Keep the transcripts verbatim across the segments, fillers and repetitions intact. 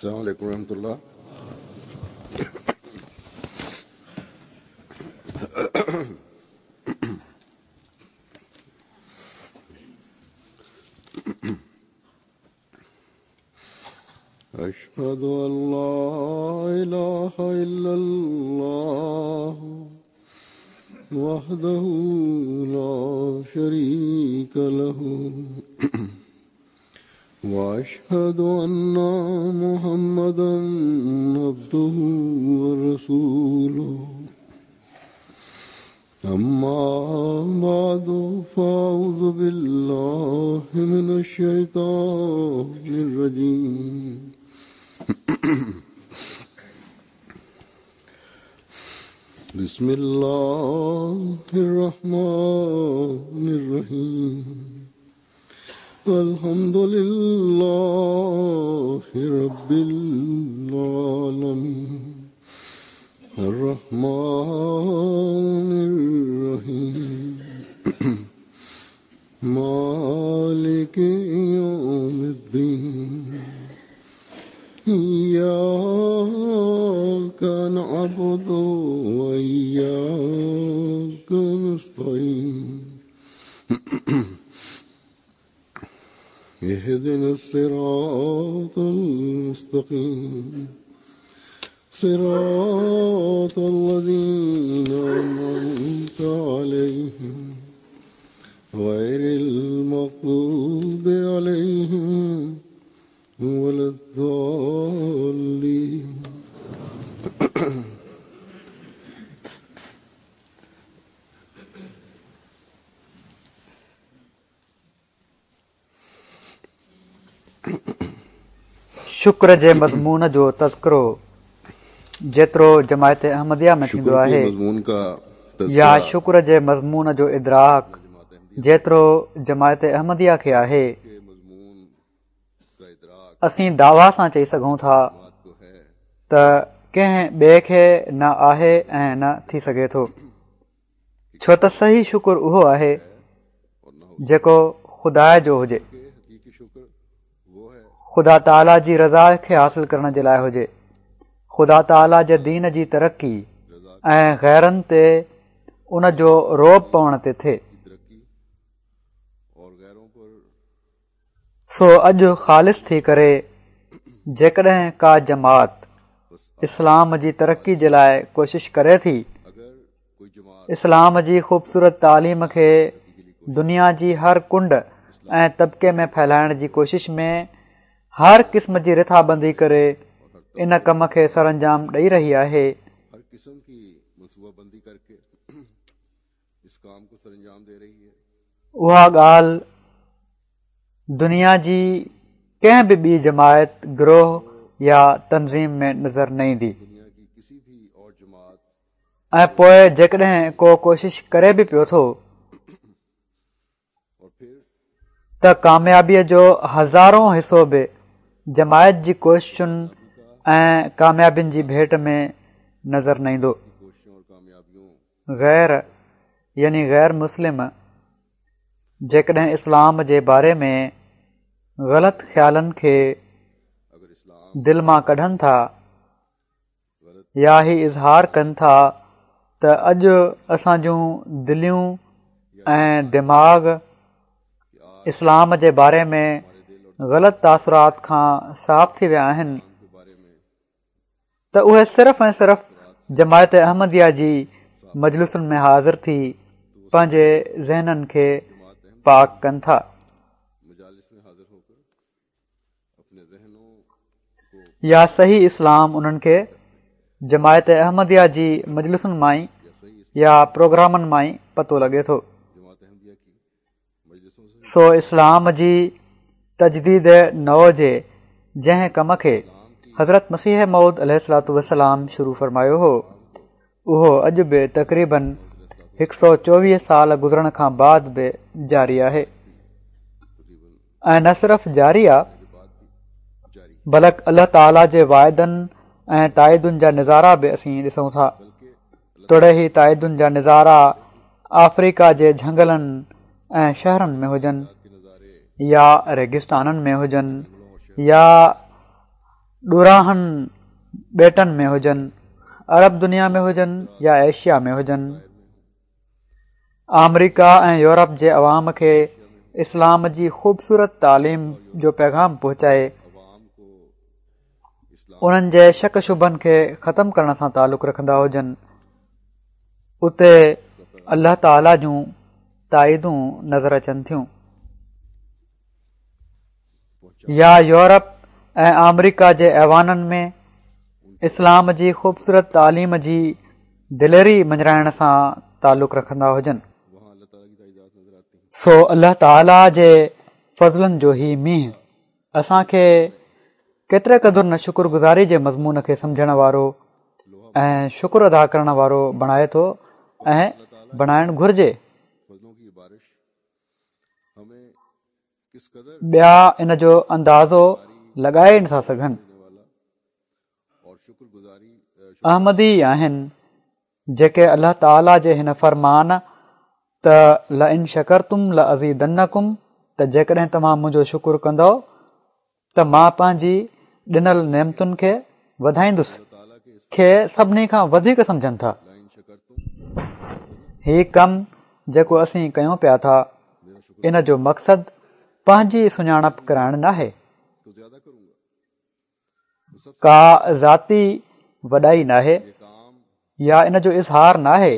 السلام عليڪم ورحمة الله. أشهد أن لا إله إلا الله وحده لا شريك له وأشهد أن محمدا عبده ورسوله. أما بعد فأعوذ بالله من الشيطان الرجيم. بسم الله الرحمن الرحيم. الحمد لله رب العالمين الرحمن الرحيم مالك يوم الدين. إياك نعبد وإياك نستعين. اهدنا الصراط المستقيم صراط الذين أنعمت عليهم غير المغضوب عليهم ولا الضالين. شڪر جي مضمون جو تذڪرو جيترو جماعت احمديه ۾ ٿيندو آهي يا شڪر جي مضمون جو ادراڪ جيترو جماعت احمديه کي آهي، اسين دعويٰ سان چئي سگهون ٿا ته ڪنهن ٻئي کي نه آهي ۽ نه ٿي سگهي ٿو، ڇو ته صحيح شڪر اهو آهي جيڪو خدا جو هجي، خدا تعاليٰ جي رضا کي حاصل ڪرڻ جي لاءِ هجي، خدا تعاليٰ جي دين جي ترقي ۽ غيرن تي ان جو رعب پوڻ تي ٿئي. سو اڄ خالص ٿي ڪري جيڪڏهن ڪا جماعت اسلام جي ترقي جي لاءِ ڪوشش ڪري ٿي، اسلام جي خوبصورت تعليم کي دنيا جي هر ڪنڊ ۽ طبقي ۾ ڦهلائڻ جي ڪوشش ۾ هر قسم جي رٿابندي ڪري ان ڪم کي سرانجام ڏئي رهي آهي، اها ڳالهه دنيا جي ڪنهن به ٻي جماعت، گروهه يا تنظيم ۾ نظر نه ايندي. ۽ پوءِ جيڪڏهن ڪو ڪوشش ڪري به پيو ٿو ته ڪاميابيءَ جو هزارون حصو به جماعت جي ڪوششن ۽ ڪاميابين جي ڀيٽ ۾ نظر نه ايندو. غير يعني غير مسلم جيڪڏهن اسلام جي باري ۾ غلط خيالن کي دل مان ڪڍن ٿا يا هي اظهار ڪن ٿا ته اڄ اسان جون دليون ۽ دماغ اسلام جي باري ۾ غلط تاثرات کان صاف ٿي ويا آهن، ته اهي صرف ۽ صرف جماعت احمديه جي مجلسن ۾ حاضر ٿي پنهنجي ذهنن کي پاڪ ڪن ٿا. يا صحيح اسلام انهن کي جماعت احمديه جي مجلسن مان ئي يا پروگرامن مان ئي پتو لڳي ٿو. سو اسلام جي تجديد نو جي جنهن ڪم کي حضرت مسيح موعود عليه الصلوة والسلام شروع فرمايو هو، اهو اڄ به تقريبن هڪ سؤ چوويهه سال گذرڻ کان بعد به جاري آهي ۽ نه صرف جاري آهي بلڪ الله تعاليٰ جي واعدن ۽ تائيدن جا نظارا به اسين ڏسون ٿا. توڙي هي تائيدن جا نظارا آفريڪا جي جهنگلن ۽ شهرن ۾ هجن يا ريگستانن ۾ هجن يا ڏورانهن ٻيٽن ۾ هجن، عرب دنيا ۾ هجن يا ايشيا ۾ هجن، آمريڪا ۽ يورپ جي عوام کي اسلام جي خوبصورت تعليم جو پيغام پهچائي انهن جي شڪ شبهن کي ختم ڪرڻ سان تعلق رکندا هجن، اتي الله تعاليٰ جون تائيدون نظر اچن ٿيون. يا يورپ ۽ آمريڪا جي ايوانن ۾ اسلام جي خوبصورت تعليم جي دليري مڃرائڻ سان تعلق رکندا هجن. سو الله تعاليٰ جي فضلن جو هي مينهن اسان کي ڪيتري قدر نه شڪر گذاري جي مضمون کي سمجهڻ وارو ۽ شڪر ادا ڪرڻ وارو بڻائي ٿو ۽ بڻائڻ گهرجي. ٻيا ان جو اندازو لڳائي نٿا سگهن. احمدي آهن جيڪي الله تعاليٰ جي هن فرمان ته لئن شڪرتم لازيدنڪم ته جيڪڏهن توهان منهنجو شڪر ڪندؤ ته مان پنهنجي ڏنل نعمتن کي وڌائيندس کي سڀني کان وڌيڪ سمجهن ٿا. هي ڪم جيڪو اسين ڪيون پيا ٿا ان جو مقصد پنهنجي سڃاڻپ ڪرائڻ ناهي، ڪا ذاتي وڏائي ناهي يا ان جو اظهار ناهي،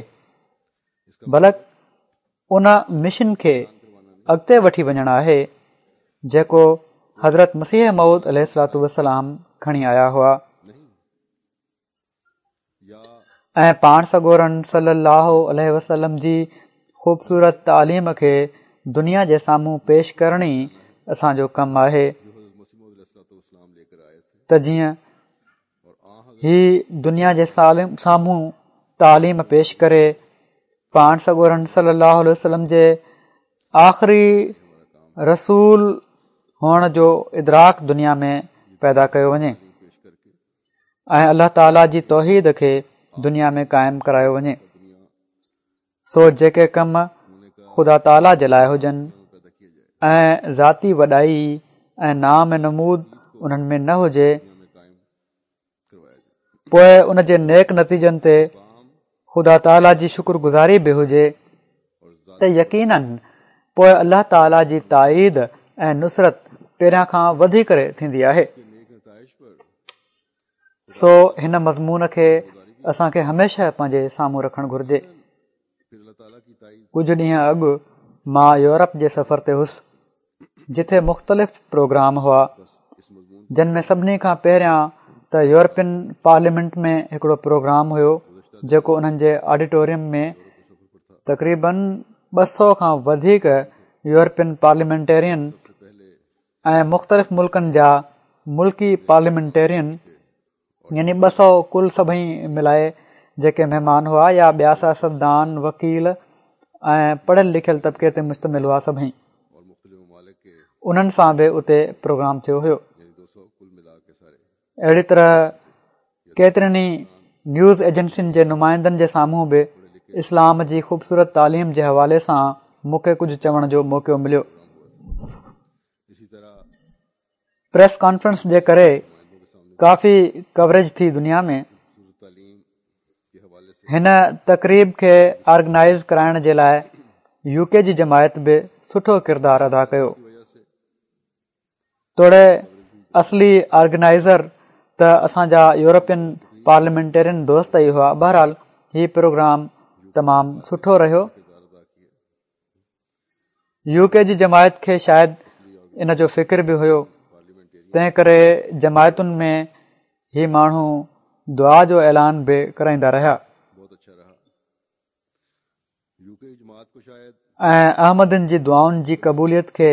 بلڪ ان مشن کي اڳتي وٺي وڃڻ آهي جيڪو حضرت مسيح موعود عليه الصلوة والسلام کڻي آيا هئا ۽ پاڻ سڳورن صلي الله عليه وسلم جي خوبصورت تعليم کي دنيا جي سامهون پيش ڪرڻ ئي اسان جو ڪم آهي ته جيئن هي دنيا جي سامهون تعليم پيش ڪري پاڻ سڳورن صلي الله عليه وسلم جي آخري رسول هئڻ جو ادراڪ دنيا ۾ پيدا ڪيو وڃي ۽ الله تعاليٰ جي توحيد کي دنيا ۾ قائم ڪرايو وڃي. سو جيڪي ڪم خدا تعاليٰ جي لاءِ هجن ۽ ذاتي وڏائي ۽ نام نمود انهن ۾ نه هجي، پوءِ ان جي نيڪ نتيجن تي خدا تعاليٰ جي شڪر گذاري به هجي ته يقيناً پوءِ الله تعاليٰ جي تائيد ۽ نصرت پهريان کان وڌي ڪري ٿيندي آهي. سو هن مضمون کي اسان کي هميشه پنهنجي سامهون رکڻ گهرجي. ڪجهه ڏينهن اڳ مان يورپ جي سفر تي هوس، جتي مختلف پروگرام هئا، جن ۾ سڀني کان پهريان ته يورپين پارليامينٽ ۾ هڪڙو پروگرام هيو، جيڪو انهن جي آڊيٽوريم ۾ تقريبن ٻه سؤ کان وڌيڪ يورپين پارليامينٽيرين ۽ مختلف ملڪن جا ملڪي پارليامينٽيرين يعني ٻه سؤ ڪل سڀئي ملائي جيڪي مهمان هئا يا ٻيا سياستدان، وڪيل ۽ پڙهيل لکيل طبقي تي مشتمل هئا سڀئي، انهن سان به اتي پروگرام ٿيو هيو. اهڙي طرح ڪيترين ئي نيوز ايجنسين جي نمائندن جي سامهون به اسلام جي خوبصورت تعليم جي حوالي سان مون کي ڪجهه چوڻ جو موقعو مليو. پريس ڪانفرنس جي ڪري ڪافي ڪوريج ٿي دنيا ۾. هن تقريب کي آرگنائيز ڪرائڻ جي لاءِ يو ڪي جي جماعت به سٺو ڪردار ادا ڪيو. توڙي اصلي آرگنائيزر ته اسان جا يورپين پارليامينٽيرين دوست ئي هئا. بهرحال هي پروگرام تمام سٺو رهيو. يو ڪي جي جماعت کي شايد ان جو فڪر به هيو، تنهن ڪري جماعتن ۾ هي ماڻهو دعا جو اعلان به ڪرائيندا رهيا ۽ احمدين جي دعائن جي قبوليت کي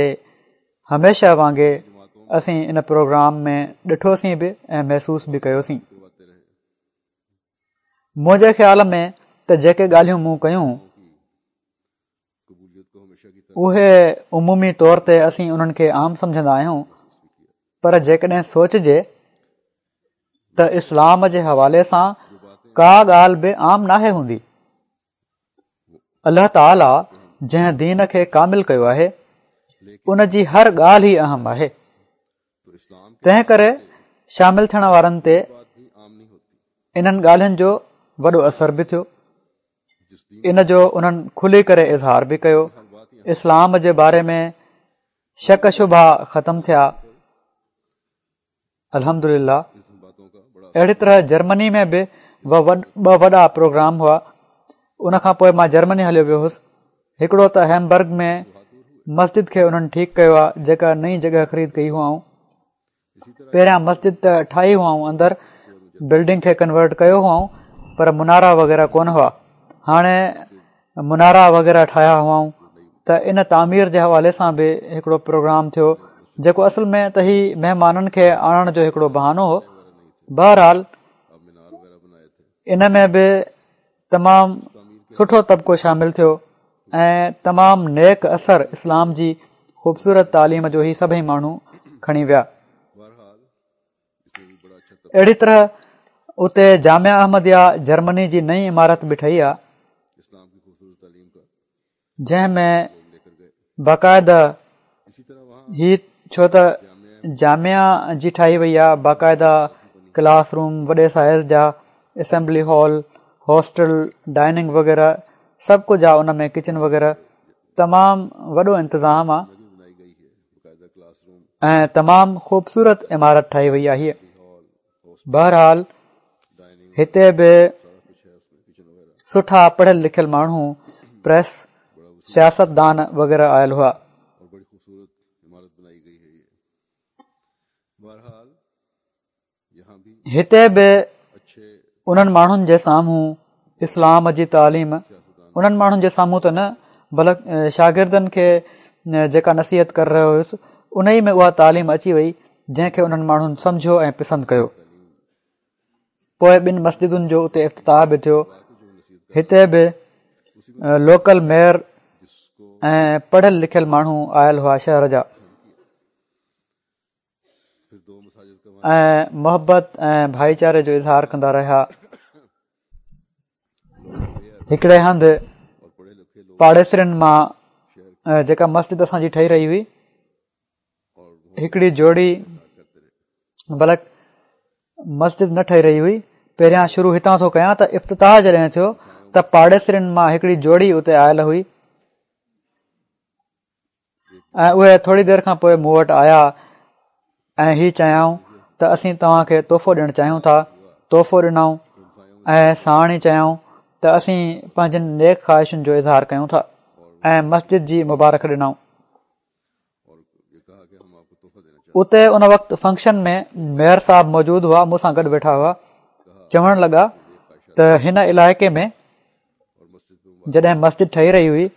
هميشه وانگي اسين ان پروگرام ۾ ڏٺوسين به ۽ محسوس به ڪيوسين. منهنجي خيال ۾ ته جيڪي ڳالهيون مون ڪيون اهي عمومي طور تي اسين انهن کي عام سمجهندا آهيون، پر جيڪڏهن سوچجي ته اسلام جي حوالي سان ڪا ڳالهه به عام ناهي هوندي. الله تعاليٰ جنهن دين کي ڪامل ڪيو آهي ان جي هر ڳالهه ئي اهم آهي. تنهن ڪري شامل ٿيڻ وارن تي انهن ڳالهين جو وڏو اثر به ٿيو. ان جو انهن کلي ڪري اظهار به ڪيو. اسلام جي باري ۾ شڪ شبها ختم ٿيا، الحمدلله. اهڙي طرح جرمني ۾ به ٻه وڏا پروگرام هئا. ان کان پوءِ مان جرمني هليو ويو هوس. هڪڙو ته هيمبرگ ۾ مسجد کي انهن ٺيڪ ڪيو آهي، جيڪا نئين جڳهه خريد ڪئي هئائون. پهريان مسجد ته ٺاهي هئائون، اندر بلڊنگ کي ڪنورٽ ڪيو هئائون، پر منارا وغيره ڪونه هئا. هاڻي منارا وغيره ٺاهيا هئائون. ته ان تعمير جي حوالي سان به هڪڙو پروگرام ٿيو، جيڪو اصل ۾ ته هي مهمانن کي آڻڻ جو هڪڙو بهانو هو. بهرحال ان ۾ به تمام سٺو طبقو شامل ٿيو ۽ تمام نيڪ اثر اسلام جي خوبصورت تعليم جو هي سڀئي ماڻهو کڻي ويا. اهڙي طرح اتي جامعه احمديه جرمني جي نئين عمارت به ٺهي آهي، جنهن ۾ باقاعده هي ڇو ته جامعه جي ٺاهي وئي آهي، باقاعده ڪلاس روم وڏي سائيز جا، اسيمبلي هال، هاسٽل، ڊائننگ وغيره سڀ ڪجهه آهي ان ۾، ڪچن وغيره، تمام وڏو انتظام آهي ۽ تمام خوبصورت عمارت ٺاهي وئي آهي. بهرحال هتي به سٺا پڙهيل لکيل ماڻهو، پريس، سياستدان وغيره آيل هئا. هتي به انهن ماڻهن جي سامهون اسلام جي تعليم، انهن ماڻهن جي سامهون ته نه بلڪ شاگردن کي جيڪا نصيحت ڪري رهيو هيس ان ئي ۾ اها تعليم اچي وئي جنهن کي انهن ماڻهن سمجهيو ۽ پسند ڪيو. پوءِ ٻن مسجدن جو اتي افتتاح به ٿيو. هتي به لوڪل ميئر ۽ پڙهيل لکيل ماڻهو آيل هئا شهر جا، ۽ محبت ۽ ڀائيچاري جو اظهار ڪندا رهيا. هڪڙي هنڌ پاڙيسرين مان جيڪا مسجد اسان جي ٺهي رهي هئي، هڪڙي جوڙي، بلڪ مسجد نه ٺهي رهي هئي، پهريان شروع هتان ٿو ڪيان ته افتتاح جڏهن ٿيو ته پاڙيسرين مان هڪڙي جوڙي اتي آيل هئي ۽ اهي ٿوري دير کان پوءِ مون وٽ آيا ۽ هي چيائون ته اسين توهان کي تحفو ڏيڻ چاهيون ٿا. تحفو ڏنائون ۽ ساڻ ئي چيائون ته اسين پنهنجن نيڪ خواهشن جو اظهار ڪيون ٿا ۽ مسجد جي مبارڪ ڏنائون. اتي ان وقت فنڪشن ۾ ميئر صاحب موجود هئا، مون سان گڏ ويٺا هئا. چوڻ لڳا ته هن علائقي ۾ جڏهن مسجد ٺهي رهي هئي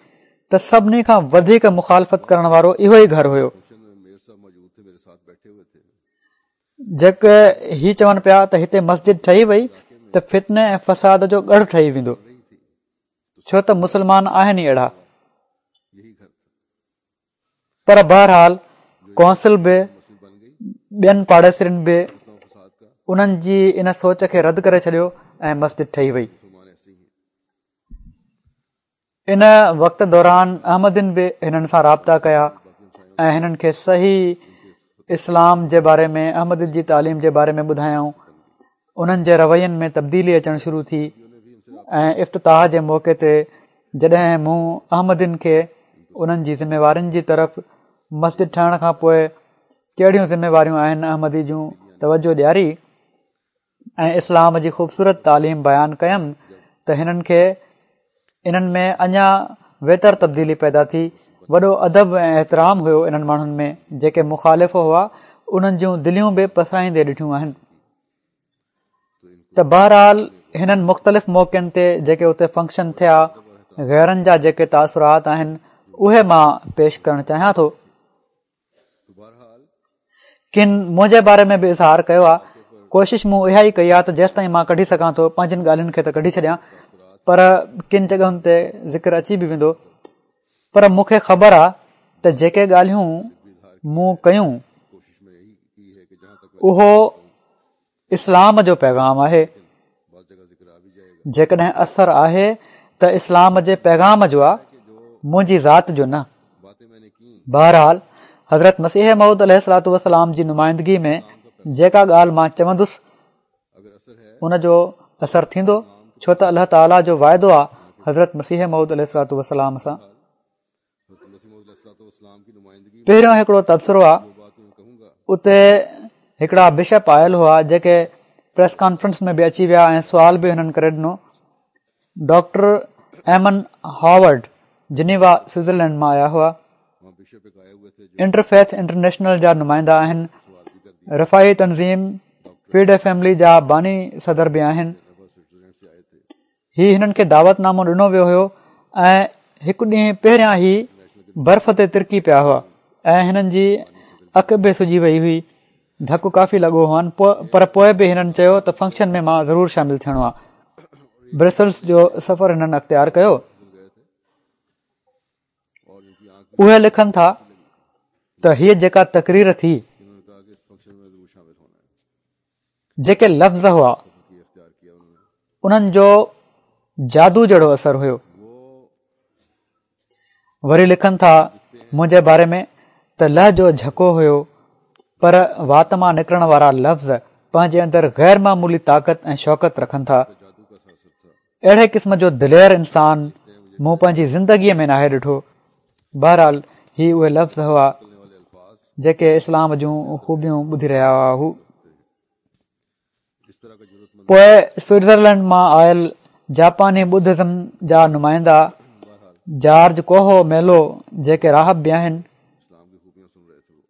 ته سڀني کان وڌيڪ مخالفت ڪرڻ وارو اهو ئي گهر هيو. جيڪي هي چون پيا ته هتي مسجد ٺهي وئي ته فتني ۽ فساد جو ڳڙهه ٺهي ويندو، ڇو ته مسلمان آهن ئي اهڙا. پر بهرحال ڪونسل به ٻين پاڙيسرين به انهن جي ان سوچ کي رد ڪري ڇڏيو ۽ مسجد ٺهي وئي. ان وقت دوران احمدين به هنن سان رابطا ڪيا ۽ هنن کي صحيح اسلام جي باري ۾ احمديت جي تعليم جي باري ۾ ٻڌايائون. انهن جي روين ۾ تبديلي اچڻ شروع ٿي ۽ افتتاح جي موقعي تي جڏهن مون احمدين کي انهن جي ذميوارين جي طرف مسجد ٺهڻ کان پوءِ ڪهڙيون ذميواريون آهن احمدي جون توجه ڏياري ۽ اسلام جي خوبصورت تعليم بيان ڪيم ته هنن کي انهن ۾ اڃا ويتر تبديلي پيدا ٿي. وڏو ادب ۽ احترام هيو انهن ماڻهن ۾ جيڪي مخالف هئا، انهن جون دليون به پسرائيندي ڏٺيون آهن. ته بهرحال هنن مختلف موقعن تي جيڪي اتي فنڪشن ٿيا، غيرن جا جيڪي تاثرات آهن اهي مان پيش ڪرڻ چاهيان ٿو. ڪن منهنجي باري ۾ به اظهار ڪيو آهي. ڪوشش مون اها ئي ڪئي آهي ته جيستائين مان ڪڍي سگهان ٿو پنهنجن ڳالهين کي ته ڪڍي ڇڏيان، پر ڪن جڳهن تي ذڪر اچي به ويندو. پر مون کي خبر آهي ته جيڪي ڳالهيون مون ڪيون اهو اسلام جو پيغام آهي. جيڪڏهن اثر آهي ته اسلام جي پيغام جو آهي، منهنجي ذات جو نه. بهرحال حضرت مسيح موعود عليه الصلوة والسلام جي نمائندگي ۾ جيڪا ڳالهه مان چوندس ان جو اثر ٿيندو، ڇو ته الله تعاليٰ جو واعدو آهي حضرت مسيح موعود عليه الصلوة والسلام سان. پهريون هڪڙو تبصرو آهي، اتي هڪڙا بشپ آيل هئا جيڪي پريس ڪانفرنس ۾ به اچي ويا ۽ سوال به هنن ڪري ڏنو. Doctor Eamon Howard Geneva Switzerland مان آيا هئا، انٽرفيٿ انٽرنيشنل جا نمائندا آهن، رفاهي تنظيم فيڊ فيملي جا باني صدر به آهن. هي هنن کي دعوت نامو ڏنو ويو هيو ۽ هڪ ڏينهن پهريان هي برف تي ترڪي پيا هئا ۽ هنن جي اک به سڄي وئي هئي، ڌڪ ڪافي لڳو هئن، پر پوءِ به هنن چيو ته فنڪشن ۾ مان ضرور شامل ٿيڻو آهي. برسلز جو سفر هنن اختيار ڪيو. اهي لکن ٿا ته هيءَ جيڪا تقرير ٿي، جيڪي لفظ هئا انهن جو جادو جهڙو اثر هيو. وري لکن ٿا منهنجي باري ۾ ته لهجو جهڪو هيو، پر وات مان نڪرڻ وارا لفظ پنهنجي اندر غير معمولي طاقت ۽ شوڪت رکن ٿا. اهڙي قسم جو دلير انسان مون پنهنجي زندگيءَ ۾ ناهي ڏٺو. بهرحال هي اهي لفظ هئا جيڪي اسلام جون خوبيون ٻڌي رهيا هئا هو. پوءِ سوئٽزرلينڊ مان آيل جاپاني ٻڌزم جا نمائندا جارج ڪوهو ميلو جيڪي راهب به آهن،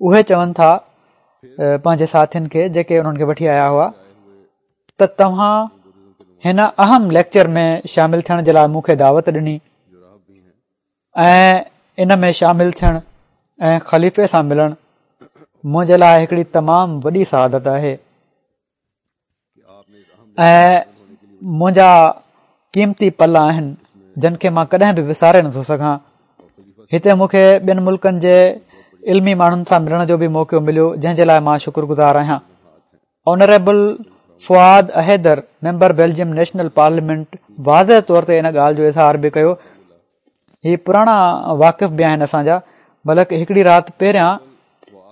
اهي چون ٿا پنهنجي ساٿين کي جيڪي انهن کي وٺي آيا هئا ته توهان هن اهم ليڪچر ۾ شامل ٿيڻ جي لاءِ مون کي دعوت ڏني ۽ ان ۾ شامل ٿيڻ ۽ خليفي سان ملڻ منهنجي لاءِ هڪڙي تمام وڏي سعادت آهي ۽ منهنجا قيمتي پل آهن جن کي مان ڪڏهن به وساري نٿو سگهان. هتي مون کي ٻين ملڪن جي علمي ماڻهن سان ملڻ جو به موقعو مليو، جنهن جي لاءِ مان شڪرگذار آهيان. Honourable Fouad Ahidar member Belgium national parliament واضح طور تي ان ڳالهه جو اظهار به ڪيو. هي پراڻا واقف به آهن اسان جا، بلڪ هڪڙي رات پهريان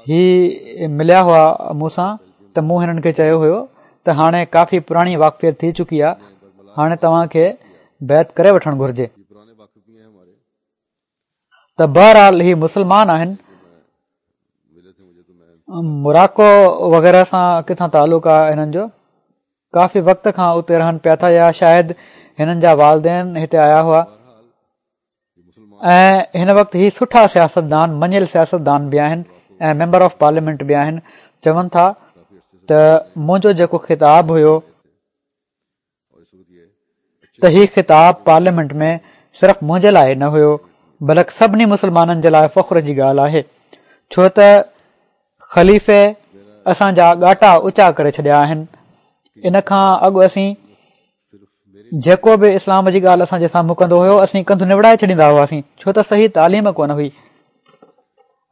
هي مليا هئا مون سان ته مون هنن کي چيو هيو ته هاڻي ڪافي پراڻي واقفيت ٿي چڪي آهي، هاڻي توهان کي بيعت ڪري وٺڻ گهرجي. ته بهرحال هي مسلمان آهن، موراڪو وغيره سان ڪٿان تعلق آهي هنن جو، ڪافي وقت کان اتي رهن پيا ٿا يا شايد هنن جا والدين هتي آيا هئا ۽ هن وقت هي سٺا سياستدان، مڃيل سياستدان به آهن ۽ ميمبر آف پارليامينٽ به آهن. چون ٿا ته منهنجو جيڪو خطاب هيو ته هي خطاب پارليامينٽ ۾ صرف منهنجي لاءِ نه هيو بلڪ سڀني مسلمانن جي لاءِ فخر جي ڳالهه آهي، ڇو ته خليفي اسان جا ڳاٽا اوچا ڪري ڇڏيا آهن. ان کان اڳ اسين جيڪو به اسلام جي ڳالهه اسان جي سامهون ڪندو هيو اسين ڪنڌ نوڙائي ڇڏيندا هئاسين، ڇو ته صحيح تعليم ڪونه هئي.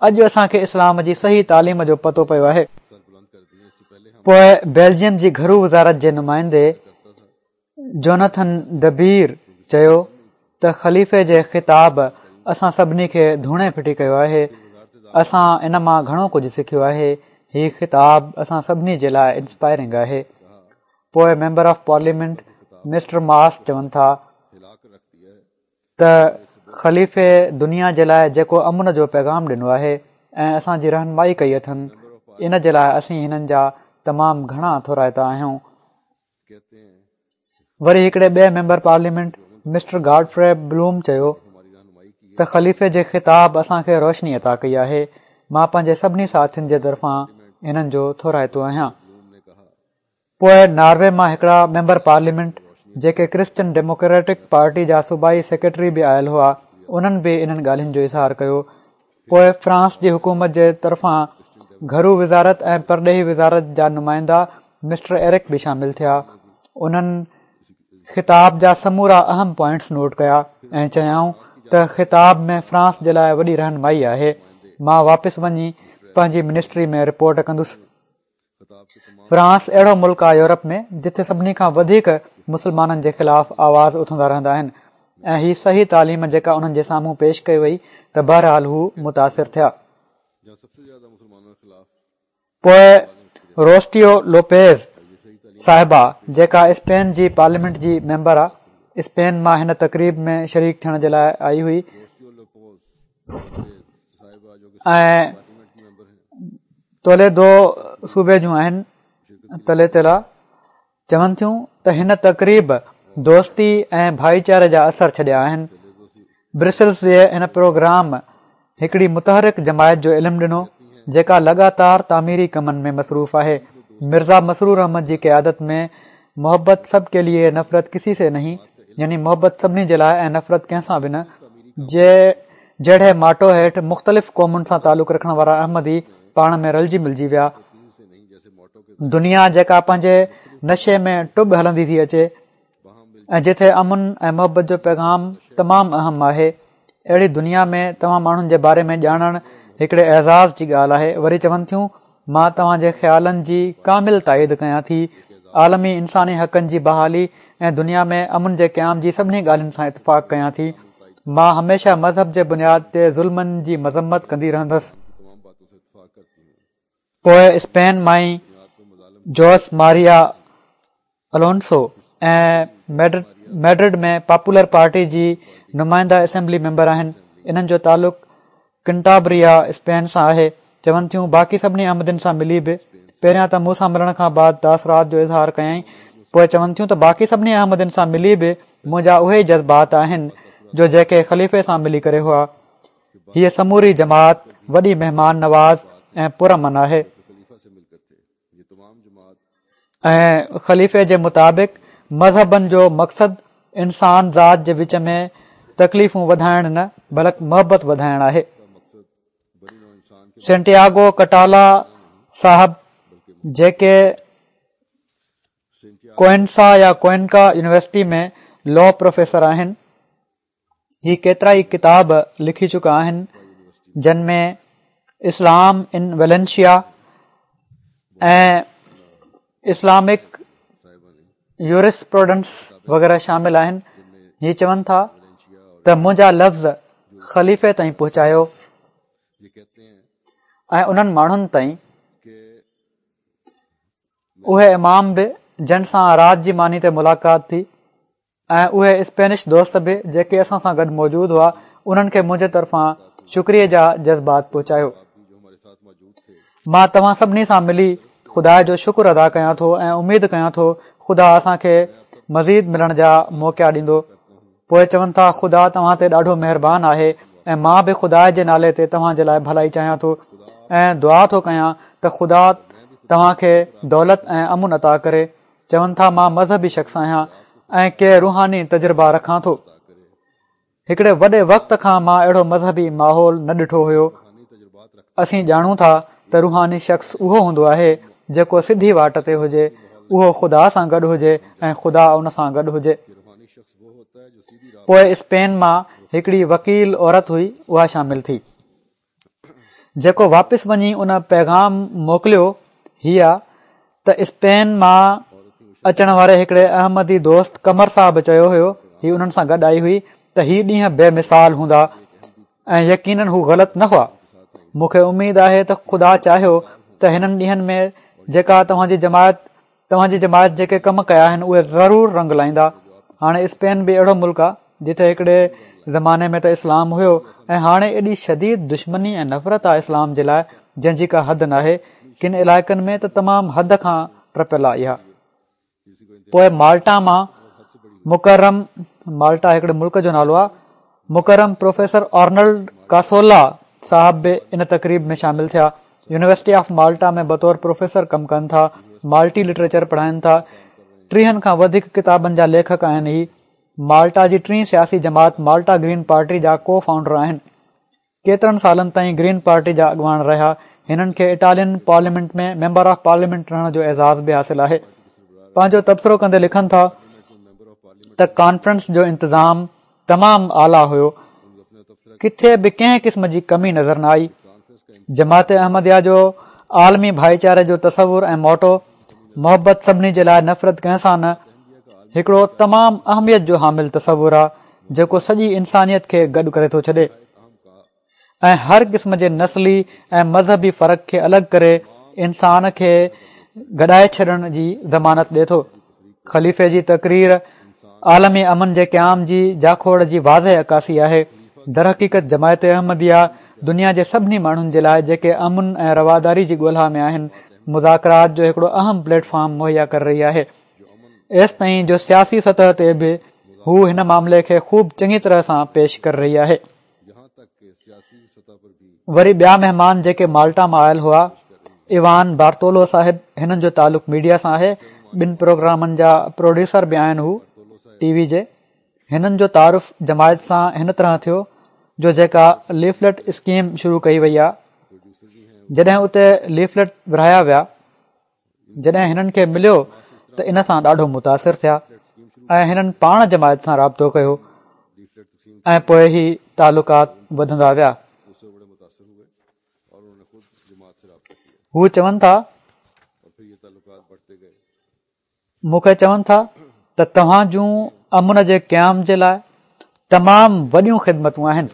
اڄ اسان کي اسلام جي صحيح تعليم جو پتو پيو آهي. پوءِ بيلجيم جي گهرو وزارت جي نمائندي جوناٿن دبير چيو ته خليفي جي خطاب اسان سڀني کي ڌوڻي ڦٽي ڪيو آهي، اسان ان مان گهڻو ڪجهه سکيو آهي، هي خطاب اسان سڀني جي لاءِ انسپائرنگ آهي. پوءِ ميمبر آف پارليامينٽ مسٽر ماس چون ٿا ته خليفي دنيا جي لاءِ جيڪو امن جو پيغام ڏنو آهي ۽ اسان جي رهنمائي ڪئي اٿن، ان جي لاءِ اسين هنن جا تمام گهڻا ٿورائتا آهيون. وري هڪڙي ٻئي member parliament mister Godfrey Bloom چيو ته خليفي جي خطاب اسان کي روشني عطا ڪئي آهي، مان پنهنجي سڀني ساٿين جي طرفان هنن جو ٿورائتو آهيان. پوءِ ناروي مان هڪڙا ميمبر پارليامينٽ جيڪي ڪرسچن ڊيموڪريٽڪ پارٽي جا صوبائي سيڪريٽري به آيل هئا، انهن به انهن ڳالهين جو اظهار ڪيو. پوءِ فرانس جي حڪومت جي طرفان گهرو وزارت ۽ پرڏيهي وزارت جا نمائندا مسٽر ايرڪ به شامل ٿيا. انهن خطاب جا سمورا اهم پوائنٽس نوٽ ڪيا ۽ چيائون ته خطاب ۾ فرانس جي لاءِ وڏي رهنمائي آهي، مان واپس وڃي پنهنجي منسٽري ۾ رپورٽ ڪندس. فرانس اهڙو ملڪ آهي يورپ ۾ جتي سڀني کان وڌيڪ مسلمانن جي خلاف آواز اٿندا رهندا آهن ۽ هي صحيح تعليم جيڪا انهن جي سامهون پيش ڪئي وئي ته بهرحال هو متاثر ٿيا. پوءِ روسٽيو لوپيز صاحبه جيڪا اسپين جي پارليامينٽ جي ميمبر آ، اسپين مان هن تقريب ۾ شريڪ ٿيڻ جي لاء آئي هئي ۽ توليدو صوبي جون آهن تليتلا چون ٿيون ته هن تقريب دوستي ۽ ڀائيچاري جا اثر ڇڏيا آهن. برسلز جي هن پروگرام هڪڙي متحرڪ جماعت جو علم ڏنو جيڪا لڳاتار تعميري ڪمن ۾ مصروف آهي. مرزا مسرور احمد جي قيادت ۾ محبت سب ڪي ليي نفرت ڪسي سي نهين يعني محبت سڀني جي لاءِ ۽ نفرت ڪنهن سان به نه جي جهڙي ماٽو هيٺ مختلف قومن سان تعلق رکڻ وارا احمدي پاڻ ۾ رلجي ملجي ويا. دنيا جيڪا پنهنجي نشي ۾ ٽٻ هلندي ٿي اچي ۽ جتي امن ۽ محبت جو پيغام تمام اهم آهي، اهڙي دنيا ۾ توهان ماڻهن جي باري ۾ ڄاڻڻ هڪڙي اعزاز جي ڳالهه آهي. وري چون ٿيون مان توهان جي خيالن جي ڪامل تائيد ڪيان ٿي. عالمي انساني حقن جي بحالي ۽ دنيا ۾ امن جي قيام جي سڀني ڳالهين سان اتفاق ڪيان ٿي. مان هميشه مذهب جي بنياد تي ظلمن جي مذمت ڪندي رهندس. پوءِ اسپين مان ئي جوس ماريا الونسو ۽ ميڊرڊ ۾ پاپولر پارٽي جي نمائنده اسيمبلي ميمبر آهن. انهن جو تعلق ڪنٽابريا اسپين سان آهي. چون ٿيون باقي سڀني احمدين سان ملي به پهريان ته مون سان ملڻ کان بعد تاثرات جو اظهار ڪيائين، پوءِ چون ٿيون ته باقي سڀني احمدين سان ملي به منهنجا اهي ئي جذبات آهن جو جيڪي خليفي سان ملي ڪري هئا. هيءَ سموري جماعت وڏي مهمان نواز ۽ پرامن آهي ۽ خليفي جي مطابق مذهبن جو مقصد انسان ذات جي وچ ۾ تڪليفون وڌائڻ نه بلڪ محبت وڌائڻ آهي. سينٽياگو ڪٽالا صاحب جيڪي ڪوئنسا يا ڪوئنڪا يونيورسٽي ۾ لا پروفيسر آهن، هي ڪيترا ئي ڪتاب لکي چڪا آهن جن ۾ اسلام ان ويلنشيا ۽ اسلامڪ يورسپروڊنس وغيره شامل آهن. هي چون ٿا ته منهنجا لفظ خليفي تائين پهچايو ۽ انهن ماڻهن تائين، اهي امام به جن سان رات جي ماني تي ملاقات ٿي ۽ اهي اسپينش دوست به جيڪي اسان سان گڏ موجود هئا، انهن کي منهنجي طرفان شڪريي جا جذبات پهچايو. مان توهان سڀني سان ملي خدا جو شڪر ادا ڪيان ٿو ۽ اميد ڪيان ٿو خدا اسان کي مزيد ملڻ جا موقعا ڏيندو. پوءِ چون ٿا خدا توهان تي ڏاڍو مهربان آهي ۽ مان به خدا جي نالي تي توهان جي لاءِ ڀلائي چاهيان ٿو ۽ دعا ٿو ڪيان ته خدا توهان کي دولت ۽ امن عطا ڪري. چون ٿا مان مذهبي شخص آهيان ۽ ڪي روحاني تجربا رکان ٿو. هڪڙي وڏي وقت کان مان اهڙو مذهبي ماحول نه ڏٺو هيو. اسين ڄاڻون ٿا ته روحاني شخص اهو هوندو آهي جيڪو سڌي واٽ تي هجي، اهو خدا سان گڏ هجي ۽ خدا ان سان گڏ هجي. پوءِ اسپين مان هڪڙي وڪيل عورت هئي، اها شامل ٿي. جيڪو واپس وڃي ان پيغام موڪليو هيءَ ته اسپين مان اچڻ واري هڪڙي احمدي دوست قمر صاحب چيو هيو، هي انهن سان گڏ آئي هئي، ته هي ڏينهن بي مثال هوندا ۽ يقينن هو غلط نه هئا. مون کي اميد آهي ته خدا چاهيو ته هنن ڏينهن ۾ جيڪا توهان جي جماعت توهان جي جماعت جيڪي ڪم ڪيا آهن اهي ضرور رنگ لائيندا. هاڻي اسپين به اهڙو ملڪ آهي جتي هڪڙي زماني ۾ ته اسلام هيو ۽ هاڻي ايڏي شديد دشمني ۽ نفرت آهي اسلام جي لاءِ جنهن جي ڪا حد ناهي. ڪن علائقن ۾ ته تمام حد کان ٽپيل آهي اها. پوءِ مالٽا مان مڪرم، مالٽا هڪڙي ملڪ جو نالو آهي، مڪرم پروفيسر آرنلڊ ڪاسولا صاحب به ان تقريب ۾ شامل ٿيا. يونيورسٽي آف مالٽا ۾ بطور پروفيسر ڪم ڪن ٿا، مالٽي لٽريچر پڙهائين ٿا. ٽيهن کان وڌيڪ ڪتابن جا ليکڪ آهن. هي مالٽا جي ٽين سياسي جماعت مالٽا گرين پارٽي جا ڪو فائونڊر آهن. ڪيترن سالن تائين گرين پارٽي جا اڳواڻ رهيا. هنن کي Italian parliament ۾ member of parliament رهڻ جو اعزاز به حاصل آهي. پنهنجو تبصرو ڪندي لکن ٿا ته ڪانفرنس جو انتظام تمام اعليٰ هيو، ڪٿي به ڪنهن قسم جي ڪمي نظر نه آئي. جماعت احمديه جو عالمي ڀائيچاري جو تصور ۽ موٽو محبت سڀني جي لاءِ نفرت ڪنهن سان نه، هڪڙو تمام اهميت جو حامل تصور آهي جيڪو سڄي انسانيت کي گڏ ڪري ٿو ڇڏي ۽ هر قسم جي نسلي ۽ مذهبي فرق کي الڳ ڪري انسان کي گڏائي ڇڏڻ جي ضمانت ڏئي ٿو. خليفي جي تقرير عالمي امن جي قيام جي جاکوڙ جي واضح عڪاسي آهي. درحقيقت جماعت احمديه دنيا جي سڀني ماڻهن جي لاءِ جيڪي امن ۽ رواداري جي ڳولها ۾ آهن، مذاڪرات جو هڪڙو اهم پليٽ فارم مهيا ڪري رهي آهي. ايستائين جو سياسي سطح تي به هو هن معاملي کي خوب چڱي طرح سان پيش ڪري رهي آهي. وري ٻيا مهمان جيڪي مالٽا مان آيل هئا، ايوان بارتولو صاحب، هنن جو تعلق ميڊيا سان آهي، ٻن پروگرامن جا پروڊيوسر به آهن هو ٽي وي جي. هنن جو تعارف جماعت سان هن طرح ٿيو جو جيڪا ليفلٽ اسڪيم شروع ڪئي وئي آهي، جڏهن اتي ليفلٽ ورهايا ويا، جڏهن هنن کي مليو ته ان سان ڏاڍو متاثر ٿيا ۽ هنن پاڻ جماعت سان رابطو ڪيو ۽ پوءِ هي تعلقات وڌندا ويا. هو چون ٿا، مون کي چون ٿا ته توهان جون امن جي قيام جي لاءِ تمام وڏيون خدمتون آهن،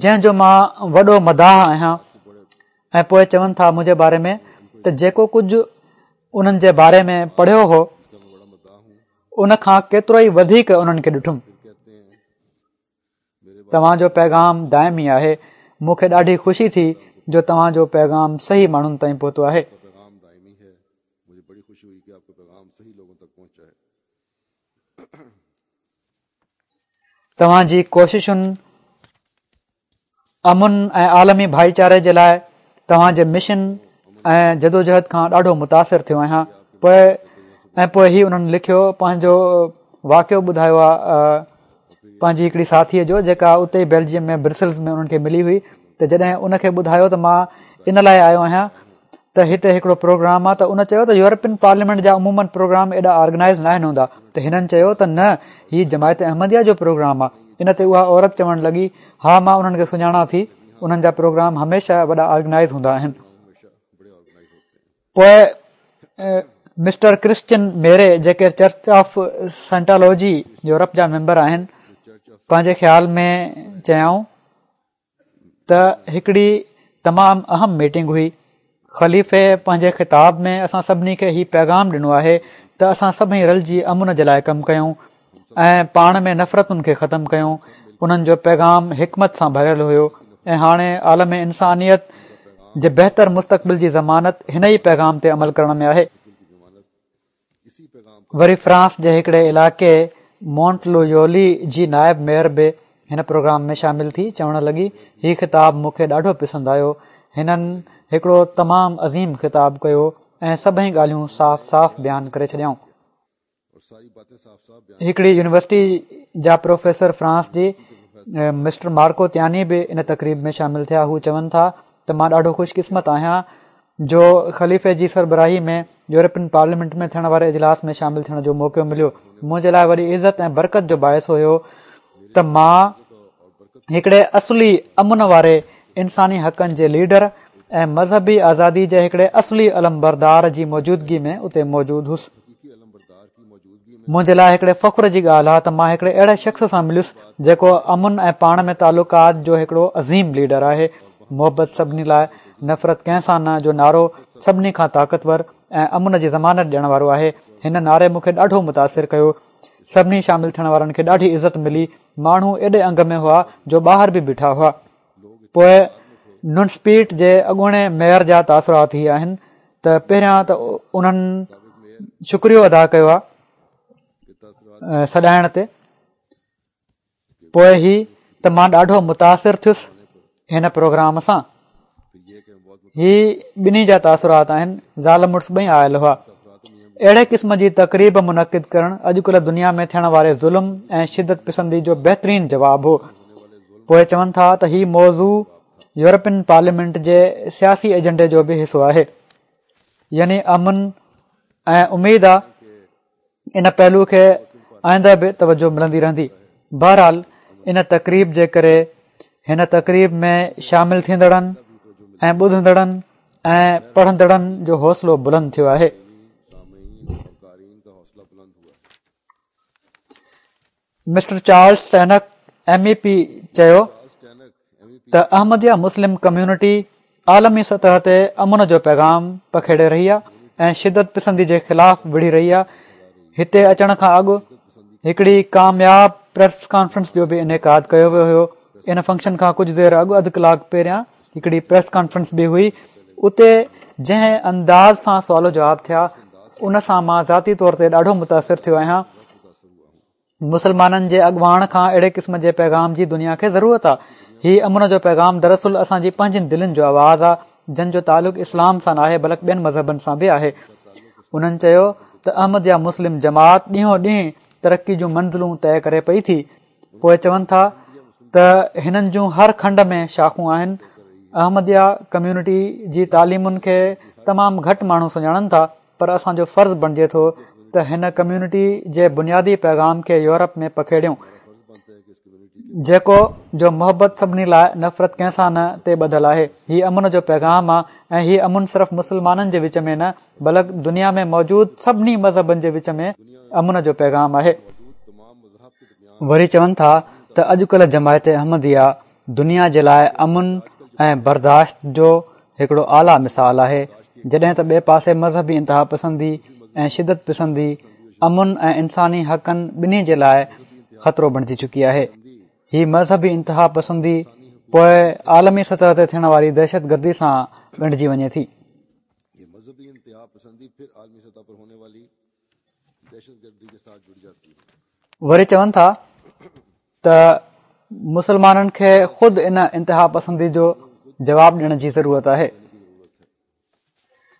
جنهن جو مان وڏو مداح آهيان. ۽ پوءِ چون ٿا منهنجي باري ۾ ته جيڪو ڪجهه انهن جي باري ۾ پڙهيو هو ان کان ڪيترو ئي وڌيڪ انهن کي ڏٺم. توهان جو پيغام دائمي آهي. مون کي ڏاڍي خوشي ٿي جو توهان جو پيغام صحيح ماڻهن تائين پهتو آهي. توهان جي ڪوششن امن ۽ عالمي ڀائيچاري جي لاءِ توهان جي مشن ۽ جدوجهد کان ڏاڍو متاثر ٿيو آهيان. پوءِ ۽ پوءِ هي انهن لکيو، پنهنجو واقعو ٻڌايو آهي پنهنجي هڪڙي ساٿيءَ جو، جيڪا اتي ئي بيلجيم ۾ برسلز ۾ انهن کي ملي هئي، ته جڏهن ان کي ٻڌايو ته مان ان لاءِ آيو آهيان ته هتي هڪڙو پروگرام آهي، ته ان چيو ته يورپين پارليامينٽ جا عموماً پروگرام ايڏا آرگنائيز نه آهن هوندا. ته هنن چيو ته نه، هي جماعت احمديه جو پروگرام آهي. ان تي اها عورت چوڻ لڳي، ها مان انهن کي سڃاڻان ٿي، انهن جا پروگرام هميشه وڏا آرگنائيز هوندا آهن. پوءِ مسٽر ڪرسچن ميري، جيڪي چرچ آف سائنٽالاجي يورپ جا ميمبر آهن، پنهنجي خيال ۾ چيائون ته هڪڙي تمام اهم ميٽنگ هئي. خليفي پنهنجي خطاب ۾ اسان سڀني کي هي پيغام ڏنو آهي ته اسان سڀئي رلجي امن جي لاءِ ڪم ڪيون ۽ پاڻ ۾ نفرتن کي ختم ڪيون. انهن جو پيغام حڪمت سان ڀريل هيو ۽ هاڻي عالم انسانيت جي بهتر مستقبل جي ضمانت هن ئي پيغام تي عمل ڪرڻ ۾ آهي. وري فرانس جي هڪڙي علائقي مونٽ لويولي جي نائب ميئر به هن پروگرام ۾ شامل ٿي چوڻ لڳي، هي خطاب مون کي ڏاڍو پسند آيو. هنن هڪڙو تمام عظيم خطاب ڪيو ۽ سڀئي ڳالهيون صاف صاف بيان ڪري ڇڏيائون. هڪڙي يونيورسٽي جا پروفيسر فرانس جي مسٽر مارڪو تياني به ان تقريب ۾ شامل ٿيا. هو چون ٿا ته مان ڏاڍو خوش قسمت آهيان جو خليفي جي سربراهي ۾ يورپين پارليامينٽ ۾ ٿيڻ واري اجلاس ۾ شامل ٿيڻ جو موقعو مليو. منهنجي لاءِ وڏي عزت ۽ برڪت جو باعث هيو ته مان هڪڙي اصلي امن واري انساني حقن جي ليڊر ۽ مذهبي آزادي جي هڪڙي اصلي علمبردار جي موجودگي ۾ اتي موجود هئس. منهنجي لاءِ هڪڙي فخر جي ڳالهه آهي ته مان هڪڙي اهڙي شخص سان مليس جيڪو امن ۽ پاڻ ۾ تعلقات جو هڪڙو عظيم ليڊر آهي. محبت سڀني لاءِ، نفرت ڪنهن سان نه جو نعرو سڀني کان طاقتور ۽ امن جي ضمانت ڏيڻ وارو آهي. هن نعري مون کي ڏاڍو متاثر ڪيو. سڀني شامل ٿيڻ وارن کي ڏاڍي عزت ملي. ماڻهو ايڏي انگ ۾ هئا جو ٻاهر به بيٺا هئا. پوءِ ننسپيٽ جي اڳوڻي ميئر جا تاثرات هي آهن ته پهريان ته انهن شڪريو ادا ڪيو آهي سڏائڻ تي، پوءِ هي ته مان ڏاڍو متاثر ٿيس هن پروگرام سان. هي ٻنهي جا تاثرات آهن. زال مڙس ٻئي آيل هئا. اهڙي قسم جي تقريب منعقد ڪرڻ اڄڪلهه دنيا ۾ ٿيڻ واري ظلم ۽ شدت پسندي جو بهترين جواب هو. پوءِ چون ٿا ته هي موضوع يورپين پارليامينٽ جي سياسي ايجنڊي جو به حصو آهي، يعني امن ۽ اميد آهي ان پهلو کي آئنده به توجه ملندي رهندي. بهرحال ان تقريب جي ڪري هن تقريب ۾ شامل ٿيندڙن ۽ ٻڌندڙن ۽ پڙهندڙن جو حوصلو بلند ٿيو آهي. Mister Charles Tannock M E P چيو ته احمديه مسلم ڪميونٽي عالمي سطح تي امن جو پيغام پکيڙي رهي آهي ۽ شدت پسندي جي خلاف وڙهي رهي آهي. هتي اچڻ کان اڳ هڪڙي ڪامياب پريس ڪانفرنس جو به انعقاد ڪيو ويو هيو. ان فنڪشن کان ڪجهه دير اڳ اڌ ڪلاڪ پهريان هڪڙي پريس ڪانفرنس به هئي. اتي جنهن انداز سان سوال و جواب ٿيا ان سان مان ذاتي طور تي ڏاڍو متاثر ٿيو آهيان. مسلمانن جي اڳواڻ کان اهڙي قسم جي پيغام جي دنيا کي ضرورت آهي. هي امن جو پيغام دراصل اسان جي پنهنجين دلين جو آواز آهي، جن جو تعلق اسلام سان ناهي بلڪ ٻين مذهبن سان به آهي. انهن چيو ته احمديه مسلم جماعت ڏينهون ڏينهن ترقي جون منزلون طئي ڪري پئي ٿي. پوء چون ٿا ته هنن جون هر کنڊ ۾ شاخون آهن. احمديه ڪميونٽي جي تعليمن کي تمام گهٽ ماڻهو سڃاڻن ٿا، پر اسان جو فرض بڻجي ٿو ته هن ڪميونٽي جي بنيادي پيغام کي يورپ ۾ پکيڙيون، جيڪو جو محبت سڀني لاء نفرت ڪنهن سان نه تي ٻڌل آهي. هي امن جو پيغام آهي ۽ هي امن صرف مسلمانن جي وچ ۾ نه بلڪ دنيا ۾ موجود سڀني مذهبن جي وچ ۾ امن جو پيغام آهي. وري چون ٿا ته اڄڪلهه جماعت احمديه دنيا جي لاء امن ۽ برداشت جو هڪڙو اعليٰ مثال آهي، جڏهن ته ٻئي پاسي مذهبي انتها پسندي ۽ شدت پسندي امن ۽ انساني حقن ٻنهي جي لاء خطرو بڻجي چڪي آهي. هي مذهبي انتها پسندي پوء عالمي سطح تي ٿيڻ واري دهشت گردي سان ڳنڍجي وڃي ٿي. وري چون ٿا ته مسلمانن کي خود ان انتها پسندي جو جواب ڏيڻ جي ضرورت آهي.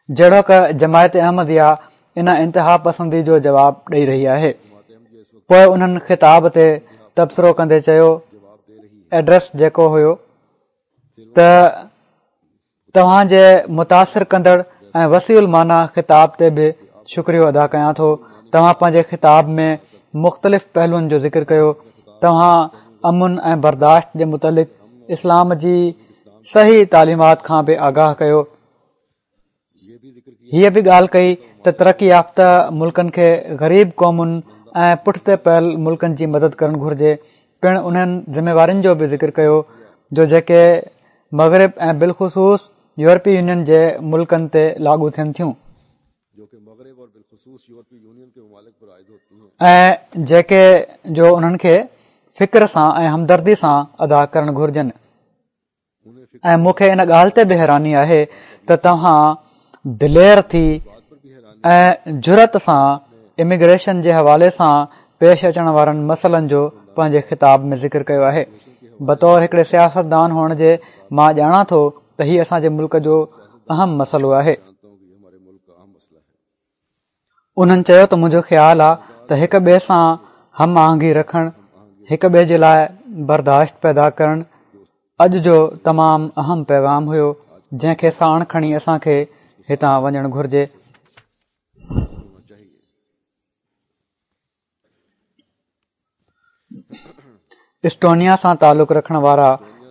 جهڙوڪ جماعت احمديه ان انتها پسندي جو جواب ڏئي رهي آهي. پوء انهن خطاب تي تبصرو ڪندي چيو، ايڊريس جيڪو هيو ته توهان جي متاثر ڪندڙ ۽ وسيع المعنيٰ خطاب تي به شڪريو ادا ڪيان ٿو. توهان پنهنجي خطاب ۾ مختلف پهلوئن جو ذڪر ڪيو. توهان امن ۽ برداشت جي متعلق اسلام جي صحيح تعليمات کان به آگاهه ڪيو. هيء به ڳالهه ڪئي ته ترقي يافته ملڪن کي غريب قومن ۽ پٺتي پيل ملڪن جي مدد ڪرڻ گهرجي. پڻ انهن ذميوارين جو به ذڪر ڪيو جو جيڪي مغرب ۽ بالخصوص يورپي يونين جي ملڪن تي لاڳو ٿين ٿيون ۽ جيڪي جو انهن کي فڪر سان ۽ همدردي سان ادا ڪرڻ گهرجن. ۽ مون کي ان ڳالهه تي به حيراني آهي ته توهان دلير ٿي ۽ جرئت سان اميگريشن جي حوالي سان پيش اچڻ وارن مسئلن جو پنهنجي خطاب ۾ ذڪر ڪيو آهي. بطور هڪڙي سياستدان هئڻ جي مان ڄاڻان ٿو ته هي اسان جي ملڪ جو اهم مسئلو آهي. انهن چيو ته منهنجو خيال آهي ته هڪ ٻئي سان هم آهنگي رکڻ، هڪ ٻئي جي لاء برداشت پيدا ڪرڻ اڄ جو تمام اهم پيغام هيو، جنهن کي ساڻ کڻي اسان کي هتان وڃڻ گهرجي. اسٽونيا سان تعلق رکڻ وارا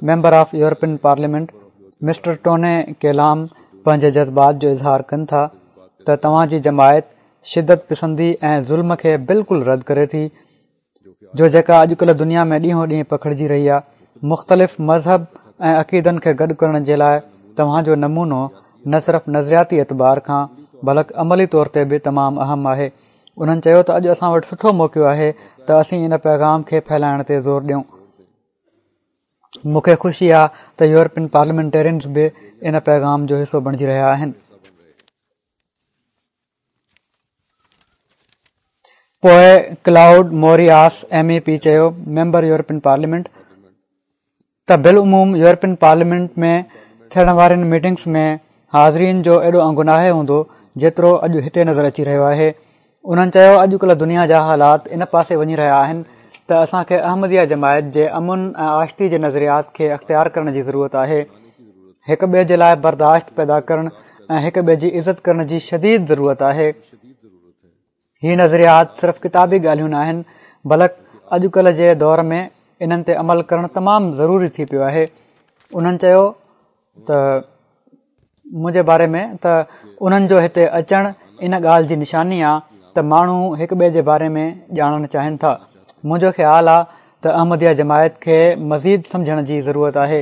member of European Parliament Mister Tunne Kelam پنهنجي جذبات جو اظهار ڪن ٿا ته توهان جي جماعت شدت پسندي ۽ ظلم کي بلڪل رد ڪري ٿي جو جيڪا اڄڪلهه دنيا ۾ ڏينهون ڏينهن پکڙجي رهي آهي. مختلف مذهب ۽ عقيدن کي گڏ ڪرڻ جي لاء توهان جو نمونو نه صرف نظرياتي اعتبار کان بلڪ عملي طور تي به تمام اهم آهي. انهن چيو ته اڄ اسان وٽ سٺو موقعو آهي ته اسين ان پيغام کي ڦهلائڻ تي زور ڏيون. مون کي خوشي آهي ته يورپين پارليامينٽيرينز به ان پيغام جو حصو بڻجي رهيا آهن. پوء Claude Moraes M E P چيو، ميمبر يورپين پارليامينٽ، ته بالعموم يورپين پارليامينٽ ۾ ٿيڻ وارين ميٽنگز ۾ حاضرين جو ايڏو انگ ناهي هوندو جيترو اڄ هتي نظر اچي رهيو آهي. انهن چيو اڄڪلهه دنيا جا حالات ان پاسي وڃي رهيا آهن ته اسان کي احمديه جماعت جي امن ۽ آشتي جي نظريات کي اختيار ڪرڻ جي ضرورت آهي. هڪ ٻئي جي لاء برداشت پيدا ڪرڻ ۽ هڪ ٻئي جي عزت ڪرڻ جي شديد ضرورت آهي. هي نظريات صرف ڪتابي ڳالهيون ناهن بلڪ اڄڪلهه جي دور ۾ انهن تي عمل ڪرڻ تمام ضروري ٿي پيو آهي. انهن چيو ته منهنجي باري ۾ ته انهن جو هتي اچڻ ان ڳالهه جي نشاني آ ته ماڻهو هڪ ٻئي جي باري ۾ ڄاڻڻ چاهين ٿا. منهنجو خيال آ ته احمديه جماعت کي مزيد سمجهڻ جي ضرورت آهي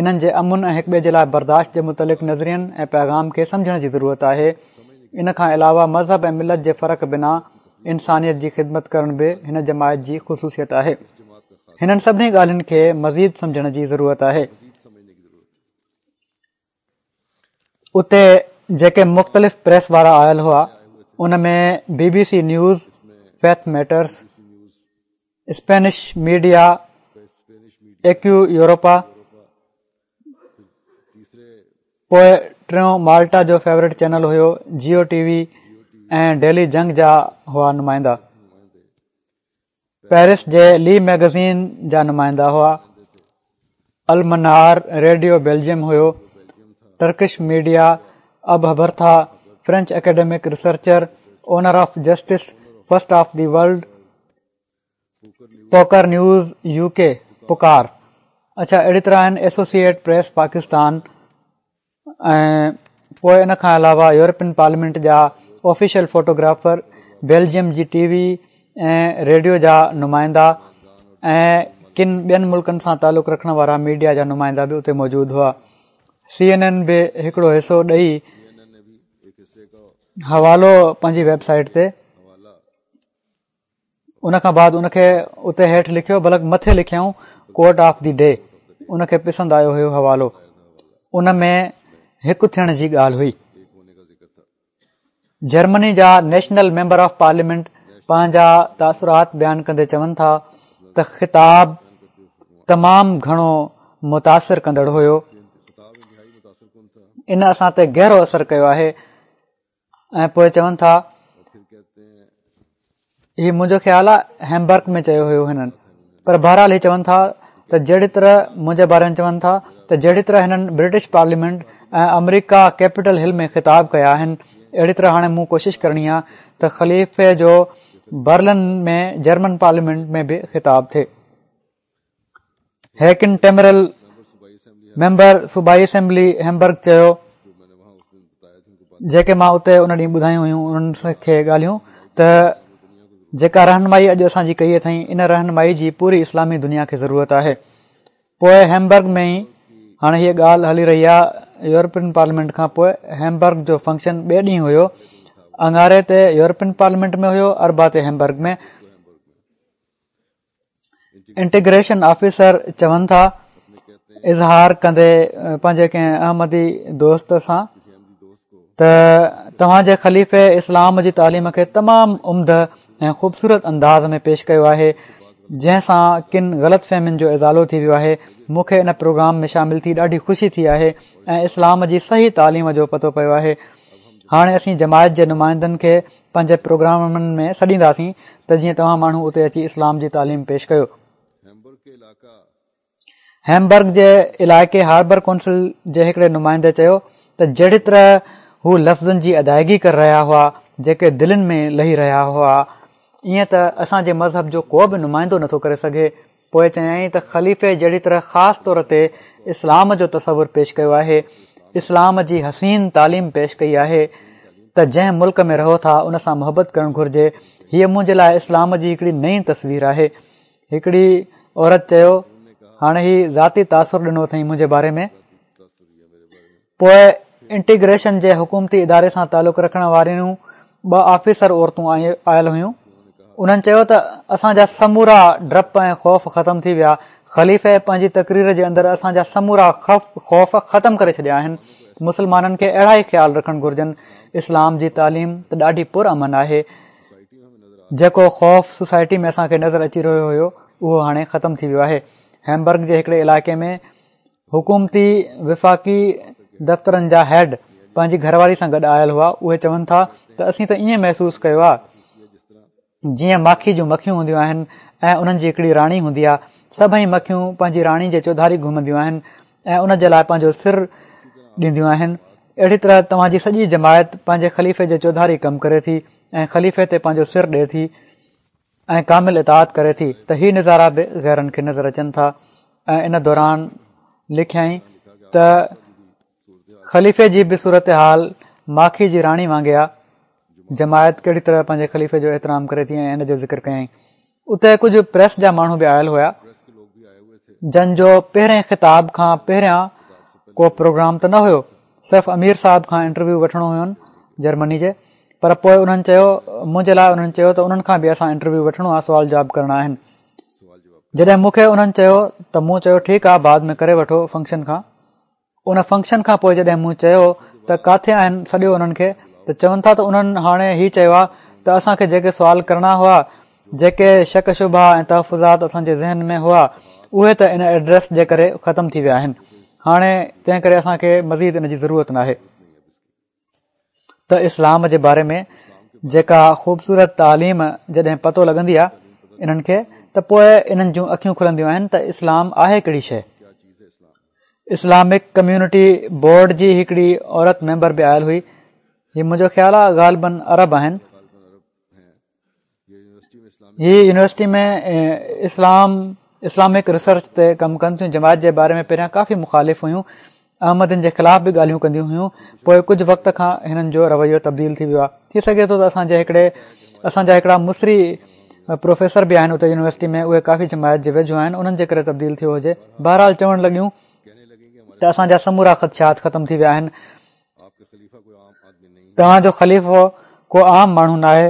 انهن جي امن ۽ هڪ ٻئي جي لاء برداشت جي متعلق نظرين ۽ پيغام کي سمجهڻ جي ضرورت آهي. ان کان علاوه مذهب ۽ ملت جي فرق بنا انسانيت جي خدمت ڪرڻ به هن جماعت جي خصوصيت آهي. هنن سڀني ڳالهين کي مزيد سمجهڻ جي ضرورت آهي. اتي جيڪي مختلف پريس وارا آيل هئا ان ۾ B B C News, Faith Matters, Spanish media, Eco Europa, پوء ٽيون مالٽا جو فيورٽ چينل هيو جيو ٽي وي ۽ ڊيلي جنگ جا هئا نمائندا، پيرس جي لي ميگزين جا نمائندا هئا، المنار ريڊيو بيلجيم هيو، ٽرڪش ميڊيا، اب هبرٿا، French academic researcher, owner of justice first of the world, پوڪر news U ڪي، پڪار. اڇا اهڙي طرح آهن ايسوسيئيٽ پريس پاڪستان ۽ پوء ان کان علاوه يورپين پارليامينٽ جا آفيشل فوٽوگرافر، بيلجيم جي ٽي وي ۽ ريڊيو جا نمائندا ۽ ڪن ٻين ملڪن سان تعلق رکڻ وارا ميڊيا جا نمائندا به اتي موجود هئا. سي اين اين به هڪڙو حصو ڏئي حوالو پنهنجي ويب سائيٽ تي ان کان بعد ان کي اتي هيٺ لکيو بلڪ مٿي لکيائون ڪوٽ آف the D, ان کي پسند آيو هيو حوالو، ان ۾ هڪ ٿيڻ جي ڳالهه هئي. جرمني جا نيشنل ميمبر آف پارليامينٽ پنهنجا تاثرات بيان ڪندي چون ٿا ته خطاب تمام گهڻو متاثر ڪندڙ هيو، ان اسان تي گهرو اثر ڪيو آهي. ۽ پوء چون ٿا هي منهنجو خيال آهي هيمبرگ ۾ چيو هيو هنن، پر بهرحال هي چون ٿا ته جهڙي طرح منهنجي باري ۾ چون ٿا ته جهڙي طرح هنن برٽش پارليامينٽ ۽ آمريڪا ڪيپيٽل هل ۾ خطاب ڪيا آهن، اهڙي طرح هاڻي مون ڪوشش ڪرڻي آهي ته خليفي جو برلن ۾ جرمن پارليامينٽ ۾ به خطاب ٿئي. هيڪن ٽيمرل ميمبر صوبائي اسيمبلي هيمبرگ چيو، جيڪي مان اتي ان ڏينهن ٻڌايون هيون انهن کي ڳالهيون ته جيڪا رهنمائي اڄ اسان جي ڪئي اٿئين ان رهنمائي جي پوري اسلامي دنيا کي ضرورت آهي. پوء هيمبرگ ۾ ئي هاڻي هيء ڳالهه هلي رهي آهي. يورپين پارليامينٽ کان پوء هيمبرگ جو فنڪشن ٻئي ڏينهن هيو. اڱاري تي يورپين پارليامينٽ ۾ هيو، اربع تي هيمبرگ ۾. انٽيگريشن آفيسر چون ٿا اظهار ڪندي پنهنجي ڪنهن احمدي دوست سان ته توهان جي خليفي اسلام جي تعليم کي تمام عمده ۽ خوبصورت انداز ۾ پيش ڪيو آهي، جنهن سان ڪن غلط فهمين جو ازالو ٿي ويو آهي. مون کي ان پروگرام ۾ شامل ٿي ڏاڍي خوشي ٿي آهي ۽ اسلام جي صحيح تعليم جو پتو پيو آهي. هاڻي اسين جماعت جي نمائندن کي پنهنجي پروگرامن ۾ سڏينداسين ته جيئن توهان ماڻهو اتي اچي اسلام جي تعليم پيش ڪيو. هيمبرگ جي علائقي هاربر ڪونسل جي هڪڙي نمائندي چيو ته جهڙي طرح هو لفظن جي ادائگي ڪري رهيا هئا جيڪي دلين ۾ لهي رهيا هئا، ائين ته اسان جي مذهب جو ڪو به نمائندو نٿو ڪري سگهي. پوء چيائين ته خليفي جهڙي طرح خاص طور تي اسلام جو تصور پيش ڪيو آهي، اسلام جي حسين تعليم پيش ڪئي آهي ته جنهن ملڪ ۾ رهو ٿا ان سان محبت ڪرڻ گهرجي. هيء منهنجي لاء اسلام جي هڪڙي نئين تصوير آهي. هڪڙي عورت چيو، هاڻي هي ذاتي تاثر ڏنو اٿئي منهنجي باري ۾. پوء انٽيگريشن جي حڪومتي اداري سان تعلق رکڻ واريون ٻه آفيسر عورتون آيل هيون. انهن چيو ته اسان جا سمورا ڊپ ۽ خوف ختم ٿي ويا. خليفي پنهنجي تقرير جي اندر اسان جا سمورا خوف ختم ڪري ڇڏيا آهن. مسلمانن کي اهڙا ئي خيال رکڻ گهرجن. اسلام جي تعليم ته ڏاڍي پرامن آهي. جيڪو خوف سوسائٽي ۾ اسان کي نظر اچي رهيو هيو اهو هاڻي ختم ٿي ويو آهي. هيمبرگ جي هڪڙي علائقي ۾ حڪومتي وفاقي دفترن جا هيڊ پنهنجي گهرواري سان گڏ آيل هئا. اهي چون ٿا ته اسين ته ائين محسوس ڪيو آهي جيئن ماکي جون مکيون هونديون آهن ۽ انهن جي هڪڙي راڻي هوندي آهي. سڀئي مکيون پنهنجي راڻي جي چوڌاري گهمنديون آهن ۽ ان جي لاء پنهنجو سر ڏينديون آهن. اهڙي طرح توهان جي سڄي جماعت پنهنجي خليفي جي چوڌاري ڪم ڪري ٿي ۽ خليفي تي پنهنجو سر ڏئي ٿي ۽ ڪامل اطاعت ڪري ٿي ته هي نظارا به غيرن کي نظر اچن ٿا. ۽ ان دوران لکيائين ته خليفي جي به صورتحال ماکي جي راڻي وانگي آ. جماعت ڪهڙي طرح پنهنجي خليفي جو احترام ڪري ٿي ۽ ان جو ذڪر ڪيائين. اتي ڪجهه پريس جا ماڻهو به آيل هيا. جن جو پهرين خطاب کان پهريان ڪو پروگرام ته نه هيو، صرف امير صاحب کان انٽرويو وٺڻو هيون جرمني جي، پر پوءِ انهن چيو منهنجي لاءِ انهن چيو ته انهن کان به اسان انٽرويو وٺڻو آهي، سوال جواب ڪرڻا آهن. جڏهن مون کي انهن چيو ته مون چيو ٺيڪ آهي بعد ۾ ڪري وٺو فنڪشن کان. ان فنڪشن کان پوءِ جڏهن مون چيو ته ڪاٿي آهن سڏيو انهن کي، ته چون ٿا ته انهن هاڻي هي چيو آهي ته اسان کي جيڪي سوال ڪرڻا هئا، جيڪي شڪ شبها ۽ تحفظات اسان جي ذهن ۾ هئا، اهي ته ان ايڊريس جي ڪري ختم ٿي ويا آهن، هاڻي تنهن ڪري اسان کي مزيد ان جي ضرورت ناهي. ته اسلام جي باري ۾ جيڪا خوبصورت تعليم جڏهن پتو لڳندي آهي انهن کي ته پوءِ انهن جون اکيون کلنديون آهن ته اسلام آهي ڪهڙي شيءِ. اسلامڪ ڪميونٽي بورڊ جي هڪڙي عورت ميمبر به آيل هئي، هي منهنجو خيال آهي غالباً عرب آهن. هي يونيورسٽي ۾ اسلام اسلامڪ ريسرچ تي ڪم ڪن ٿيون. جماعت جي باري ۾ پهريان ڪافي مخالف هيون، احمدين جي خلاف به ڳالهيون ڪنديون هيون، پوءِ ڪجهه وقت کان هنن جو رويو تبديل ٿي ويو آهي. ٿي سگهي ٿو ته اسان جي هڪڙي اسان جا هڪڙا مصري پروفيسر به آهن اتي يونيورسٽي ۾ اهي ڪافي جماعت جي ويجهو آهن، انهن جي ڪري تبديل ٿيو هجي. بهرحال چوڻ لڳيون ته اسان جا سمورا خدشات ختم ٿي ويا آهن، توهان جو خليفو ڪو عام ماڻهو ناهي،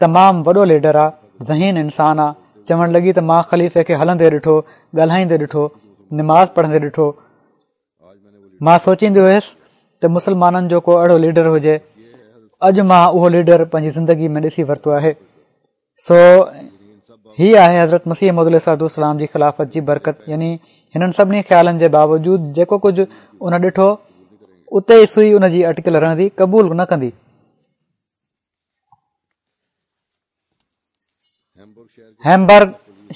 تمام وڏو ليڊر آهي، ذهين انسان آهي. چوڻ لڳي ته مان خليفي کي هلندي ڏٺو، ڳالهائيندي ڏٺو، نماز پڙهندي ڏٺو. مان سوچيندي هيس ته مسلمانن جو ڪو اهڙو ليڊر هجي، اڄ مان اهو ليڊر پنهنجي زندگي ۾ ڏسي ورتو آهي. سو هي آهي حضرت مسيح موعود عليه الصلوة والسلام جي خلافت جي برڪت. يعني هنن سڀني خيالن جي باوجود جيڪو ڪجهه ان ڏٺو اتي ئي سئي ان جي اٽڪل رهندي، قبول نه ڪندي. هيمبرگ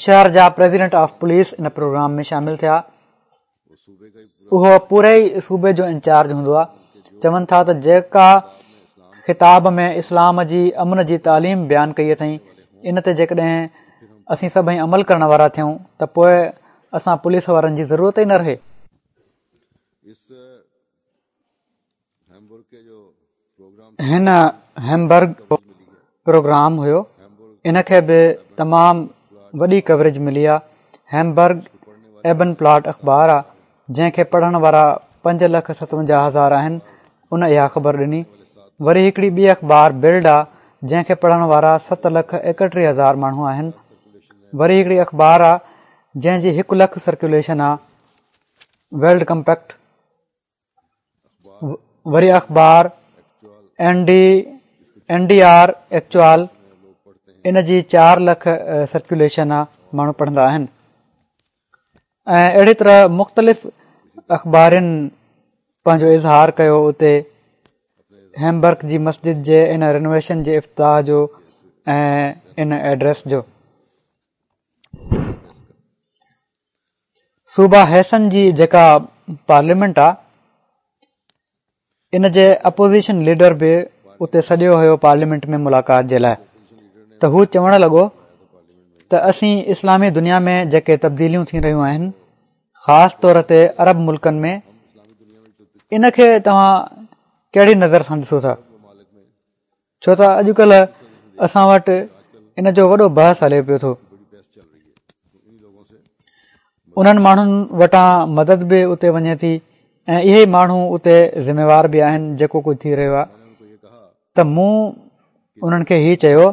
شهر جا پريزيڊنٽ آف پوليس ان پروگرام ۾ شامل ٿيا. اهو پوري ئي صوبي جو انچارج هوندو آهي. چون ٿا ته جيڪا خطاب ۾ اسلام جي امن جي تعليم بيان ڪئي اٿئين، ان تي جيڪڏهن اسين سڀئي عمل ڪرڻ وارا ٿيون ته پوءِ اسان پوليس وارن جي ضرورت ئي نه رهي. هن هيمبرگ پروگرام هيو، ان کي به تمام وڏي ڪوريج ملي آهي. هيمبرگ ايبن پلاٽ اخبار آهي جنهن کي پڙهڻ وارا پنج لک ستونجاهه هزار آهن، ان اها خبر ڏني. وري هڪڙي ٻي اخبار بلڊ آهي جنهن کي پڙهڻ وارا ست لک ايڪٽيهه هزار ماڻهو آهن. وري هڪڙي اخبار آهي جنهن جي هڪ لک سرڪيوليشن آهي، ورلڊ ڪمپيڪٽ. وري اخبار N D N D R actual, ان جي چار لک سرڪيوليشن آهي، ماڻهو پڙهندا آهن. ۽ اهڙي طرح مختلف اخبارن پنهنجو اظهار ڪيو اتي هيمبرگ جي مسجد جي ان رينوويشن جي افتتاح جو ۽ ان ايڊريس جو. صوبه هيسن جي جيڪا پارليامينٽ آهي ان جي اپوزيشن ليڊر به اتي سڏيو هيو پارليامينٽ ۾ ملاقات جي لاءِ، ته هو چوڻ لڳو ته اسين اسلامي دنيا ۾ جيڪي تبديليون ٿي رهيون آهن، خاص طور تي عرب ملڪن ۾، ان کي توهان ڪهڙي نظر سان ڏسو ٿا؟ ڇو ته اڄڪلهه اسان وٽ ان جو وڏو بحث هلي پيو ٿو. انهن ماڻهن وٽان مدد به اتي وڃي ٿي ۽ اهي ئي ماڻهو اتي ذميوار به آهن جيڪو ڪجهه ٿي رهيو آهي. ته مون انهن کي هي چيو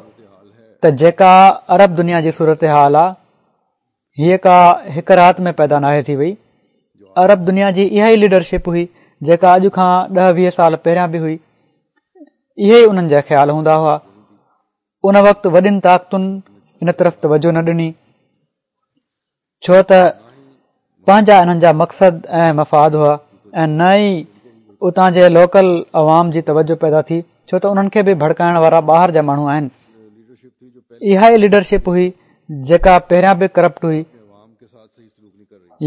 ته جيڪا عرب دنيا جي صورت حال آهي، هيءَ ڪا هڪ رات ۾ پيدا ناهي ٿي وئي. عرب دنيا جي اها ئي ليڊرشپ هئي جيڪا اڄ کان ڏهه ويهه سال پهريان به هئي. اهي ئي انهن جا خيال هوندا هئا. ان وقت وڏين طاقتن ان طرف توجه نه ڏني، ڇو ته پنهنجا انهن جا مقصد ۽ مفاد هئا ۽ نه ئي اتان جي لوڪل عوام جي توجه پيدا ٿي، ڇو ته انهن کي به ڀڙڪائڻ وارا ٻاهر جا ماڻهو آهن. اها ئي ليڊرشپ هئي جيڪا پهريان به ڪرپٽ هئي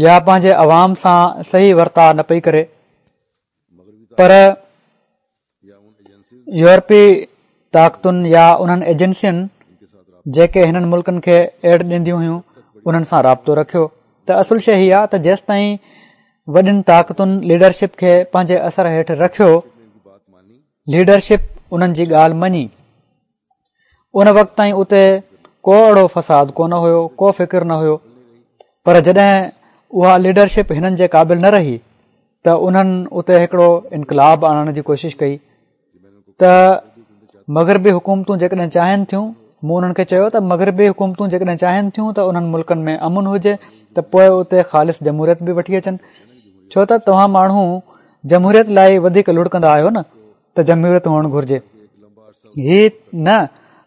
يا پنهنجي عوام سان صحيح ورتاءُ نه پئي ڪري، پر يورپي طاقتن يا انهن ايجنسين جيڪي هنن ملڪن کي ايڊ ڏينديون هيون انهن سان رابطو رکيو. ته اصل شيءِ هيءَ آهي ته جيستائين وڏين طاقتن ليڊرشپ کي پنهنجي اثر هيٺ رکيو، ليڊرشپ انهن جي ڳالهه مڃي، ان وقت تائين اتي ڪو اهڙو فساد ڪونه هيو، ڪو فڪر نه هيو. پر جڏهن اها ليڊرشپ هنن جي قابل نه رهي ته انهن اتي هڪڙو انقلاب آڻڻ جي ڪوشش ڪئي. ته مغربي حڪومتون جيڪڏهن چاهين ٿيون، مون انهن کي چيو ته مغربي حڪومتون جيڪڏهن چاهين ٿيون ته انهن ملڪن ۾ امن هجي ته پوء اتي خالص جمهوريت به وٺي اچن، ڇو ته توهان ماڻهو جمهوريت لاءِ وڌيڪ لڙڪندا آهيو نه، ته جمهوريت هئڻ گهرجي، هي نه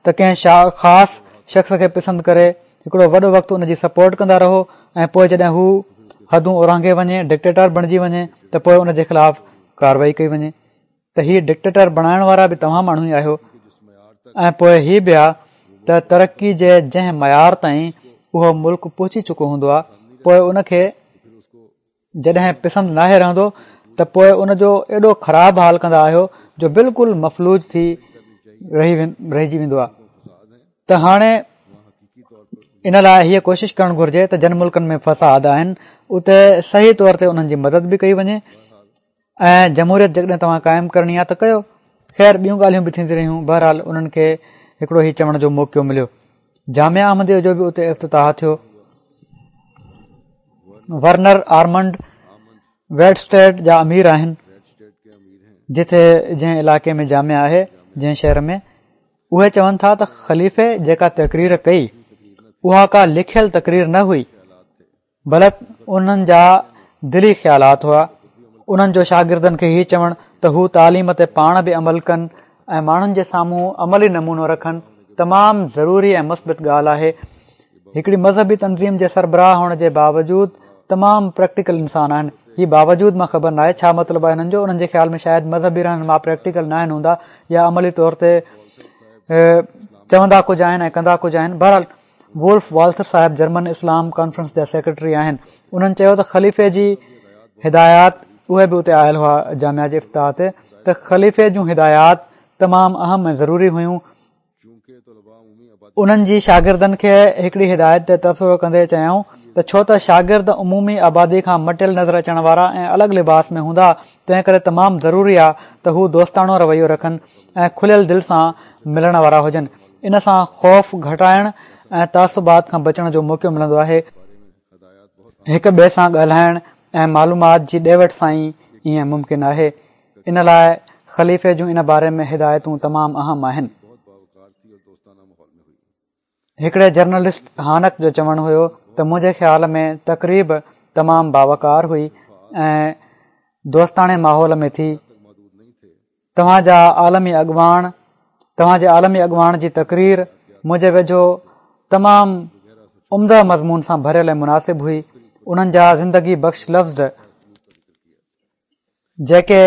ته ڪنهن خاص شخص کي پسند ڪري هڪڙو وڏو وقت ان جي سپورٽ ڪندا رهو ۽ پوءِ جڏهن هو حدون اورانگهي وڃي، ڊڪٽيٽر بڻجي وڃي ته پوءِ ان جي خلاف ڪارروائي ڪئي وڃي. ته هي ڊڪٽيٽر بڻائڻ وارا به توهان ماڻهو ئي آهيو. ۽ پوءِ هي به آهي ته ترقي جي جنهن معيار تائين اهو ملڪ پهچي چڪو هوندو آهي، پوءِ ان کي جڏهن پسند ناهي رهندو ته پوءِ ان جو ايڏو خراب حال ڪندا آهيو جو بلڪل مفلوج ٿي رهي رهجي ويندو آهي. ته هاڻي ان لاءِ هيءَ ڪوشش ڪرڻ گهرجي ته جن ملڪن ۾ فساد آهن اتي صحيح طور تي انهن جي مدد به ڪئي وڃي ۽ جمهوريت جيڪڏهن توهان قائم ڪرڻي آهي ته ڪيو. خير ٻيون ڳالهيون به ٿينديون رهيون. بهرحال انهن کي هڪڙو هي چوڻ جو موقعو مليو. جامعه احمديه جو به اتي افتتاح ٿيو. ورنر آرمنڊ ويڊسٽيڊ جا امير آهن، جتي جنهن علائقي ۾ جامعه آهي، جنهن شهر ۾، اهي چون ٿا ته خليفي جيڪا تقرير ڪئي اها ڪا لکيل تقرير نه هئي، بلڪ انهن جا دلي خيالات هئا. انهن جو شاگردن کي هي چوڻ ته هو تعليم تي پاڻ به عمل ڪن ۽ ماڻهن جي سامهون عملي نمونو رکن تمام ضروري ۽ مثبت ڳالهه آهي. هڪڙي مذهبي تنظيم جي سربراهه هئڻ جي باوجود تمام پريڪٽيڪل انسان آهن. هي باوجود مان خبر ناهي ڇا مطلب آهي هنن جو. انهن جي خيال ۾ شايد مذهبي رهنما پريڪٽيڪل ناهن هوندا يا عملي طور تي چوندا ڪجهه آهن ۽ ڪندا ڪجهه آهن. بهرحال وولف والٿر صاحب جرمن اسلام ڪانفرنس جا سيڪريٽري آهن. انهن چيو ته خليفي جي هدايات، اهي به اتي آيل هئا جامعه جي افتتاح تي، ته خليفي جون هدايات تمام اهم ۽ ضروري هيون. انهن جي شاگردن کي هڪڙي هدايت تي تبصرو ڪندي چيائون ته ڇو ته شاگرد عمومي آبادي کان مٽيل نظر اچڻ وارا ۽ الڳ لباس ۾ هوندا، تنهن ڪري تمام ضروري آهي ته هو دوستاڻو رويو رکن ۽ کليل دل سان ملڻ وارا هجن. ان سان خوف گهٽائڻ ۽ تعصبات کان بچڻ جو موقعو ملندو آهي. هڪ ٻئي سان ڳالهائڻ ۽ معلومات جي ڏي وٺ سان ئي ائين ممڪن آهي. ان لاءِ خليفي جون ان باري ۾ هدايتون تمام اهم آهن. هڪڙي جرنلسٽ هانڪ جو چوڻ هيو ته منهنجي خيال ۾ تقريب تمام باوقار هئي ۽ دوستاڻي ماحول ۾ ٿي. توهان جا عالمي اڳواڻ توهان جي عالمي اڳواڻ جي تقرير منهنجي ويجهو تمام عمده مضمون سان ڀريل ۽ مناسب هئي. انهن جا زندگي بخش لفظ جيڪي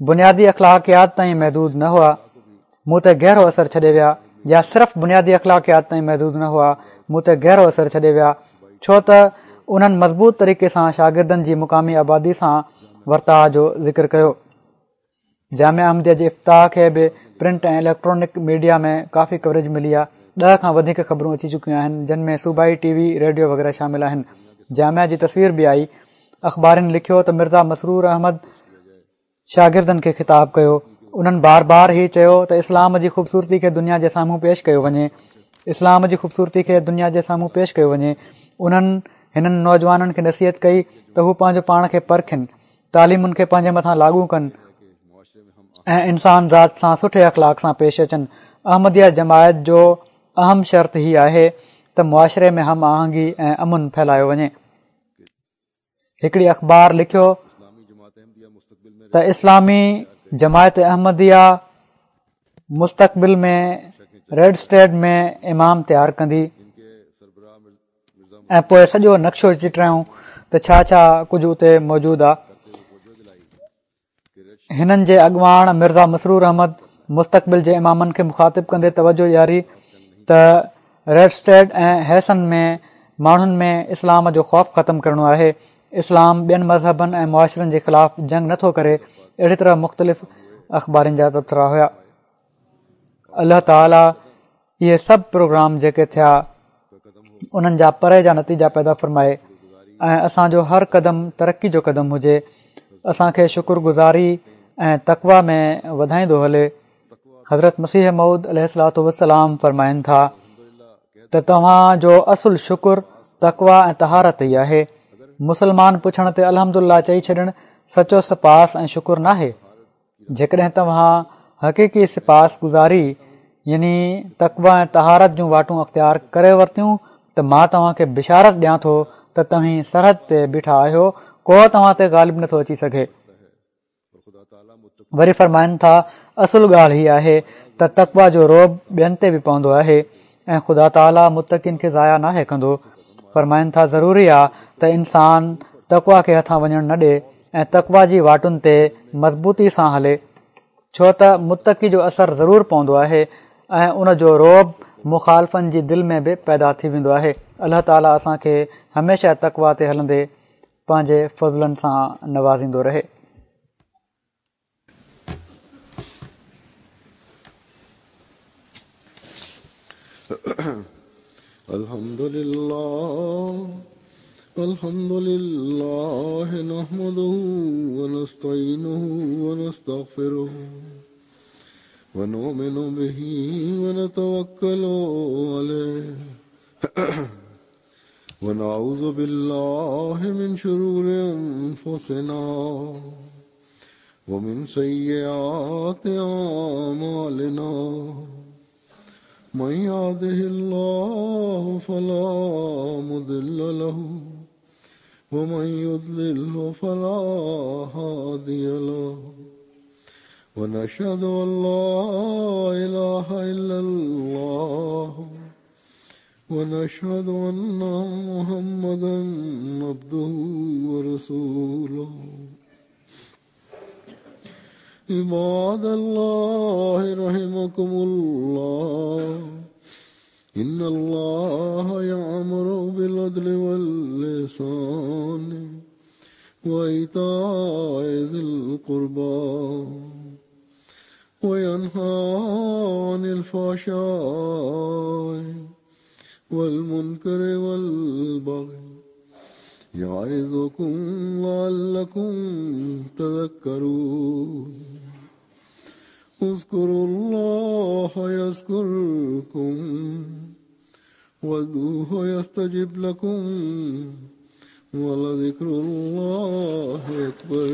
بنيادي اخلاقيات تائين محدود نه هئا مون تي گهرو اثر ڇڏي ويا، يا صرف بنيادي اخلاقيات تائين محدود نه هئا مون تي گهرو اثر ڇڏي ويا، ڇو ته انهن مضبوط طريقي سان شاگردن جي مقامي آبادي سان ورتاءُ جو ذڪر ڪيو. جامعه احمديه جي افتتاح کي به پرنٽ ۽ اليڪٽرانڪ ميڊيا ۾ ڪافي ڪوريج ملي آهي. ڏهه کان وڌيڪ خبرون اچي چڪيون آهن، جن ۾ صوبائي ٽي وي، ريڊيو وغيره شامل آهن. جامعه جي تصوير به آئي. اخبارن لکيو ته مرزا مسرور احمد شاگردن کي خطاب ڪيو. انهن بار بار هي چيو ته اسلام جي خوبصورتي کي دنيا جي سامهون پيش ڪيو وڃي، اسلام جي خوبصورتي کي دنيا جي سامهون پيش ڪيو وڃي. انهن هنن نوجوانن کي نصيحت ڪئي ته هو پنهنجو پاڻ کي پرکن، تعليمن کي پنهنجي مٿان لاڳو ڪن ۽ انسان ذات سان سٺي اخلاق سان پيش اچن. احمديه جماعت جو اهم شرط هي آهي ته معاشري ۾ هم آهنگي ۽ امن ڦهلايو وڃي. هڪڙي اخبار لکيو ته اسلامي جماعت احمديه مستقبل ۾ ريڊ اسٽيٽ ۾ امام تيار ڪندي ۽ پوءِ سڄو نقشو چٽرايون ته ڇا ڇا ڪجهه اتي موجود آهي. هنن جي اڳواڻ مرزا مسرور احمد مستقبل جي امامن کي مخاطب ڪندي توجهه ڏياري ته ريڊ اسٽيٽ ۽ هيسن ۾ ماڻهن ۾ اسلام جو خوف ختم ڪرڻو آهي. اسلام ٻين مذهبن ۽ معاشرن جي خلاف جنگ نٿو ڪري. اهڙي طرح مختلف اخبارن جا تبصرا هئا. الله تعاليٰ اهي سڀ پروگرام جيڪي ٿيا انهن جا پري جا نتيجا پيدا فرمائي ۽ اسان جو هر قدم ترقي جو قدم هجي. اسان کي شڪر گذاري ۽ تقويٰ ۾ وڌائيندو هلي. حضرت مسيح موعود عليه الصلوة والسلام فرمائن ٿا ته توهان جو اصل شڪر تقويٰ ۽ طهارت ئي آهي. مسلمان پڇڻ تي الحمدلله چئي ڇڏڻ سچو سپاس ۽ شڪر ناهي. جيڪڏهن توهان حقيقي سپاس گذاري يعني تقويٰ ۽ طهارت جون واٽون اختيار ڪري ورتيون ته مان توهان کي بشارت ڏيان ٿو ته توهين سرحد تي بيٺا آهيو، ڪو توهان تي غالب نٿو اچي سگهي. وري فرمائن ٿا اصل ڳالهه هي آهي ته تقويٰ جو رعب ٻين تي به پوندو آهي ۽ خدا تعاليٰ متقين کي ضايع ناهي ڪندو. فرمائن ٿا ضروري آ ته انسان تقويٰ کي هٿان وڃڻ نه ڏي ۽ تقويٰ جي واٽن تي مضبوطي سان هلي، ڇو ته متقي جو اثر ضرور پوندو آهي ۽ ان جو رعب مخالفن جي دل ۾ به پيدا ٿي ويندو آهي. الله تعاليٰ اسان کي هميشه تقويٰ تي هلندي پنهنجي فضلن سان نوازيندو رهي. الحمد لله الحمد لله نحمده ونستعينه ونستغفره ونؤمن به ونتوكل عليه ونعوذ بالله من شرور أنفسنا ومن سيئات أعمالنا من يهده الله فلا مضل له ومن يضلله فلا هادي له ونشهد أن لا إله إلا الله ونشهد أن محمدا عبده ورسوله. عباد الله رحمكم الله، إن الله يأمر بالعدل والإحسان وإيتاء ذي القربى وينهى عن الفحشاء والمنكر والبغي يعظكم لعلكم تذكرون. اذكروا الله يذكركم وادعوه يستجب لكم ولذكر الله أكبر.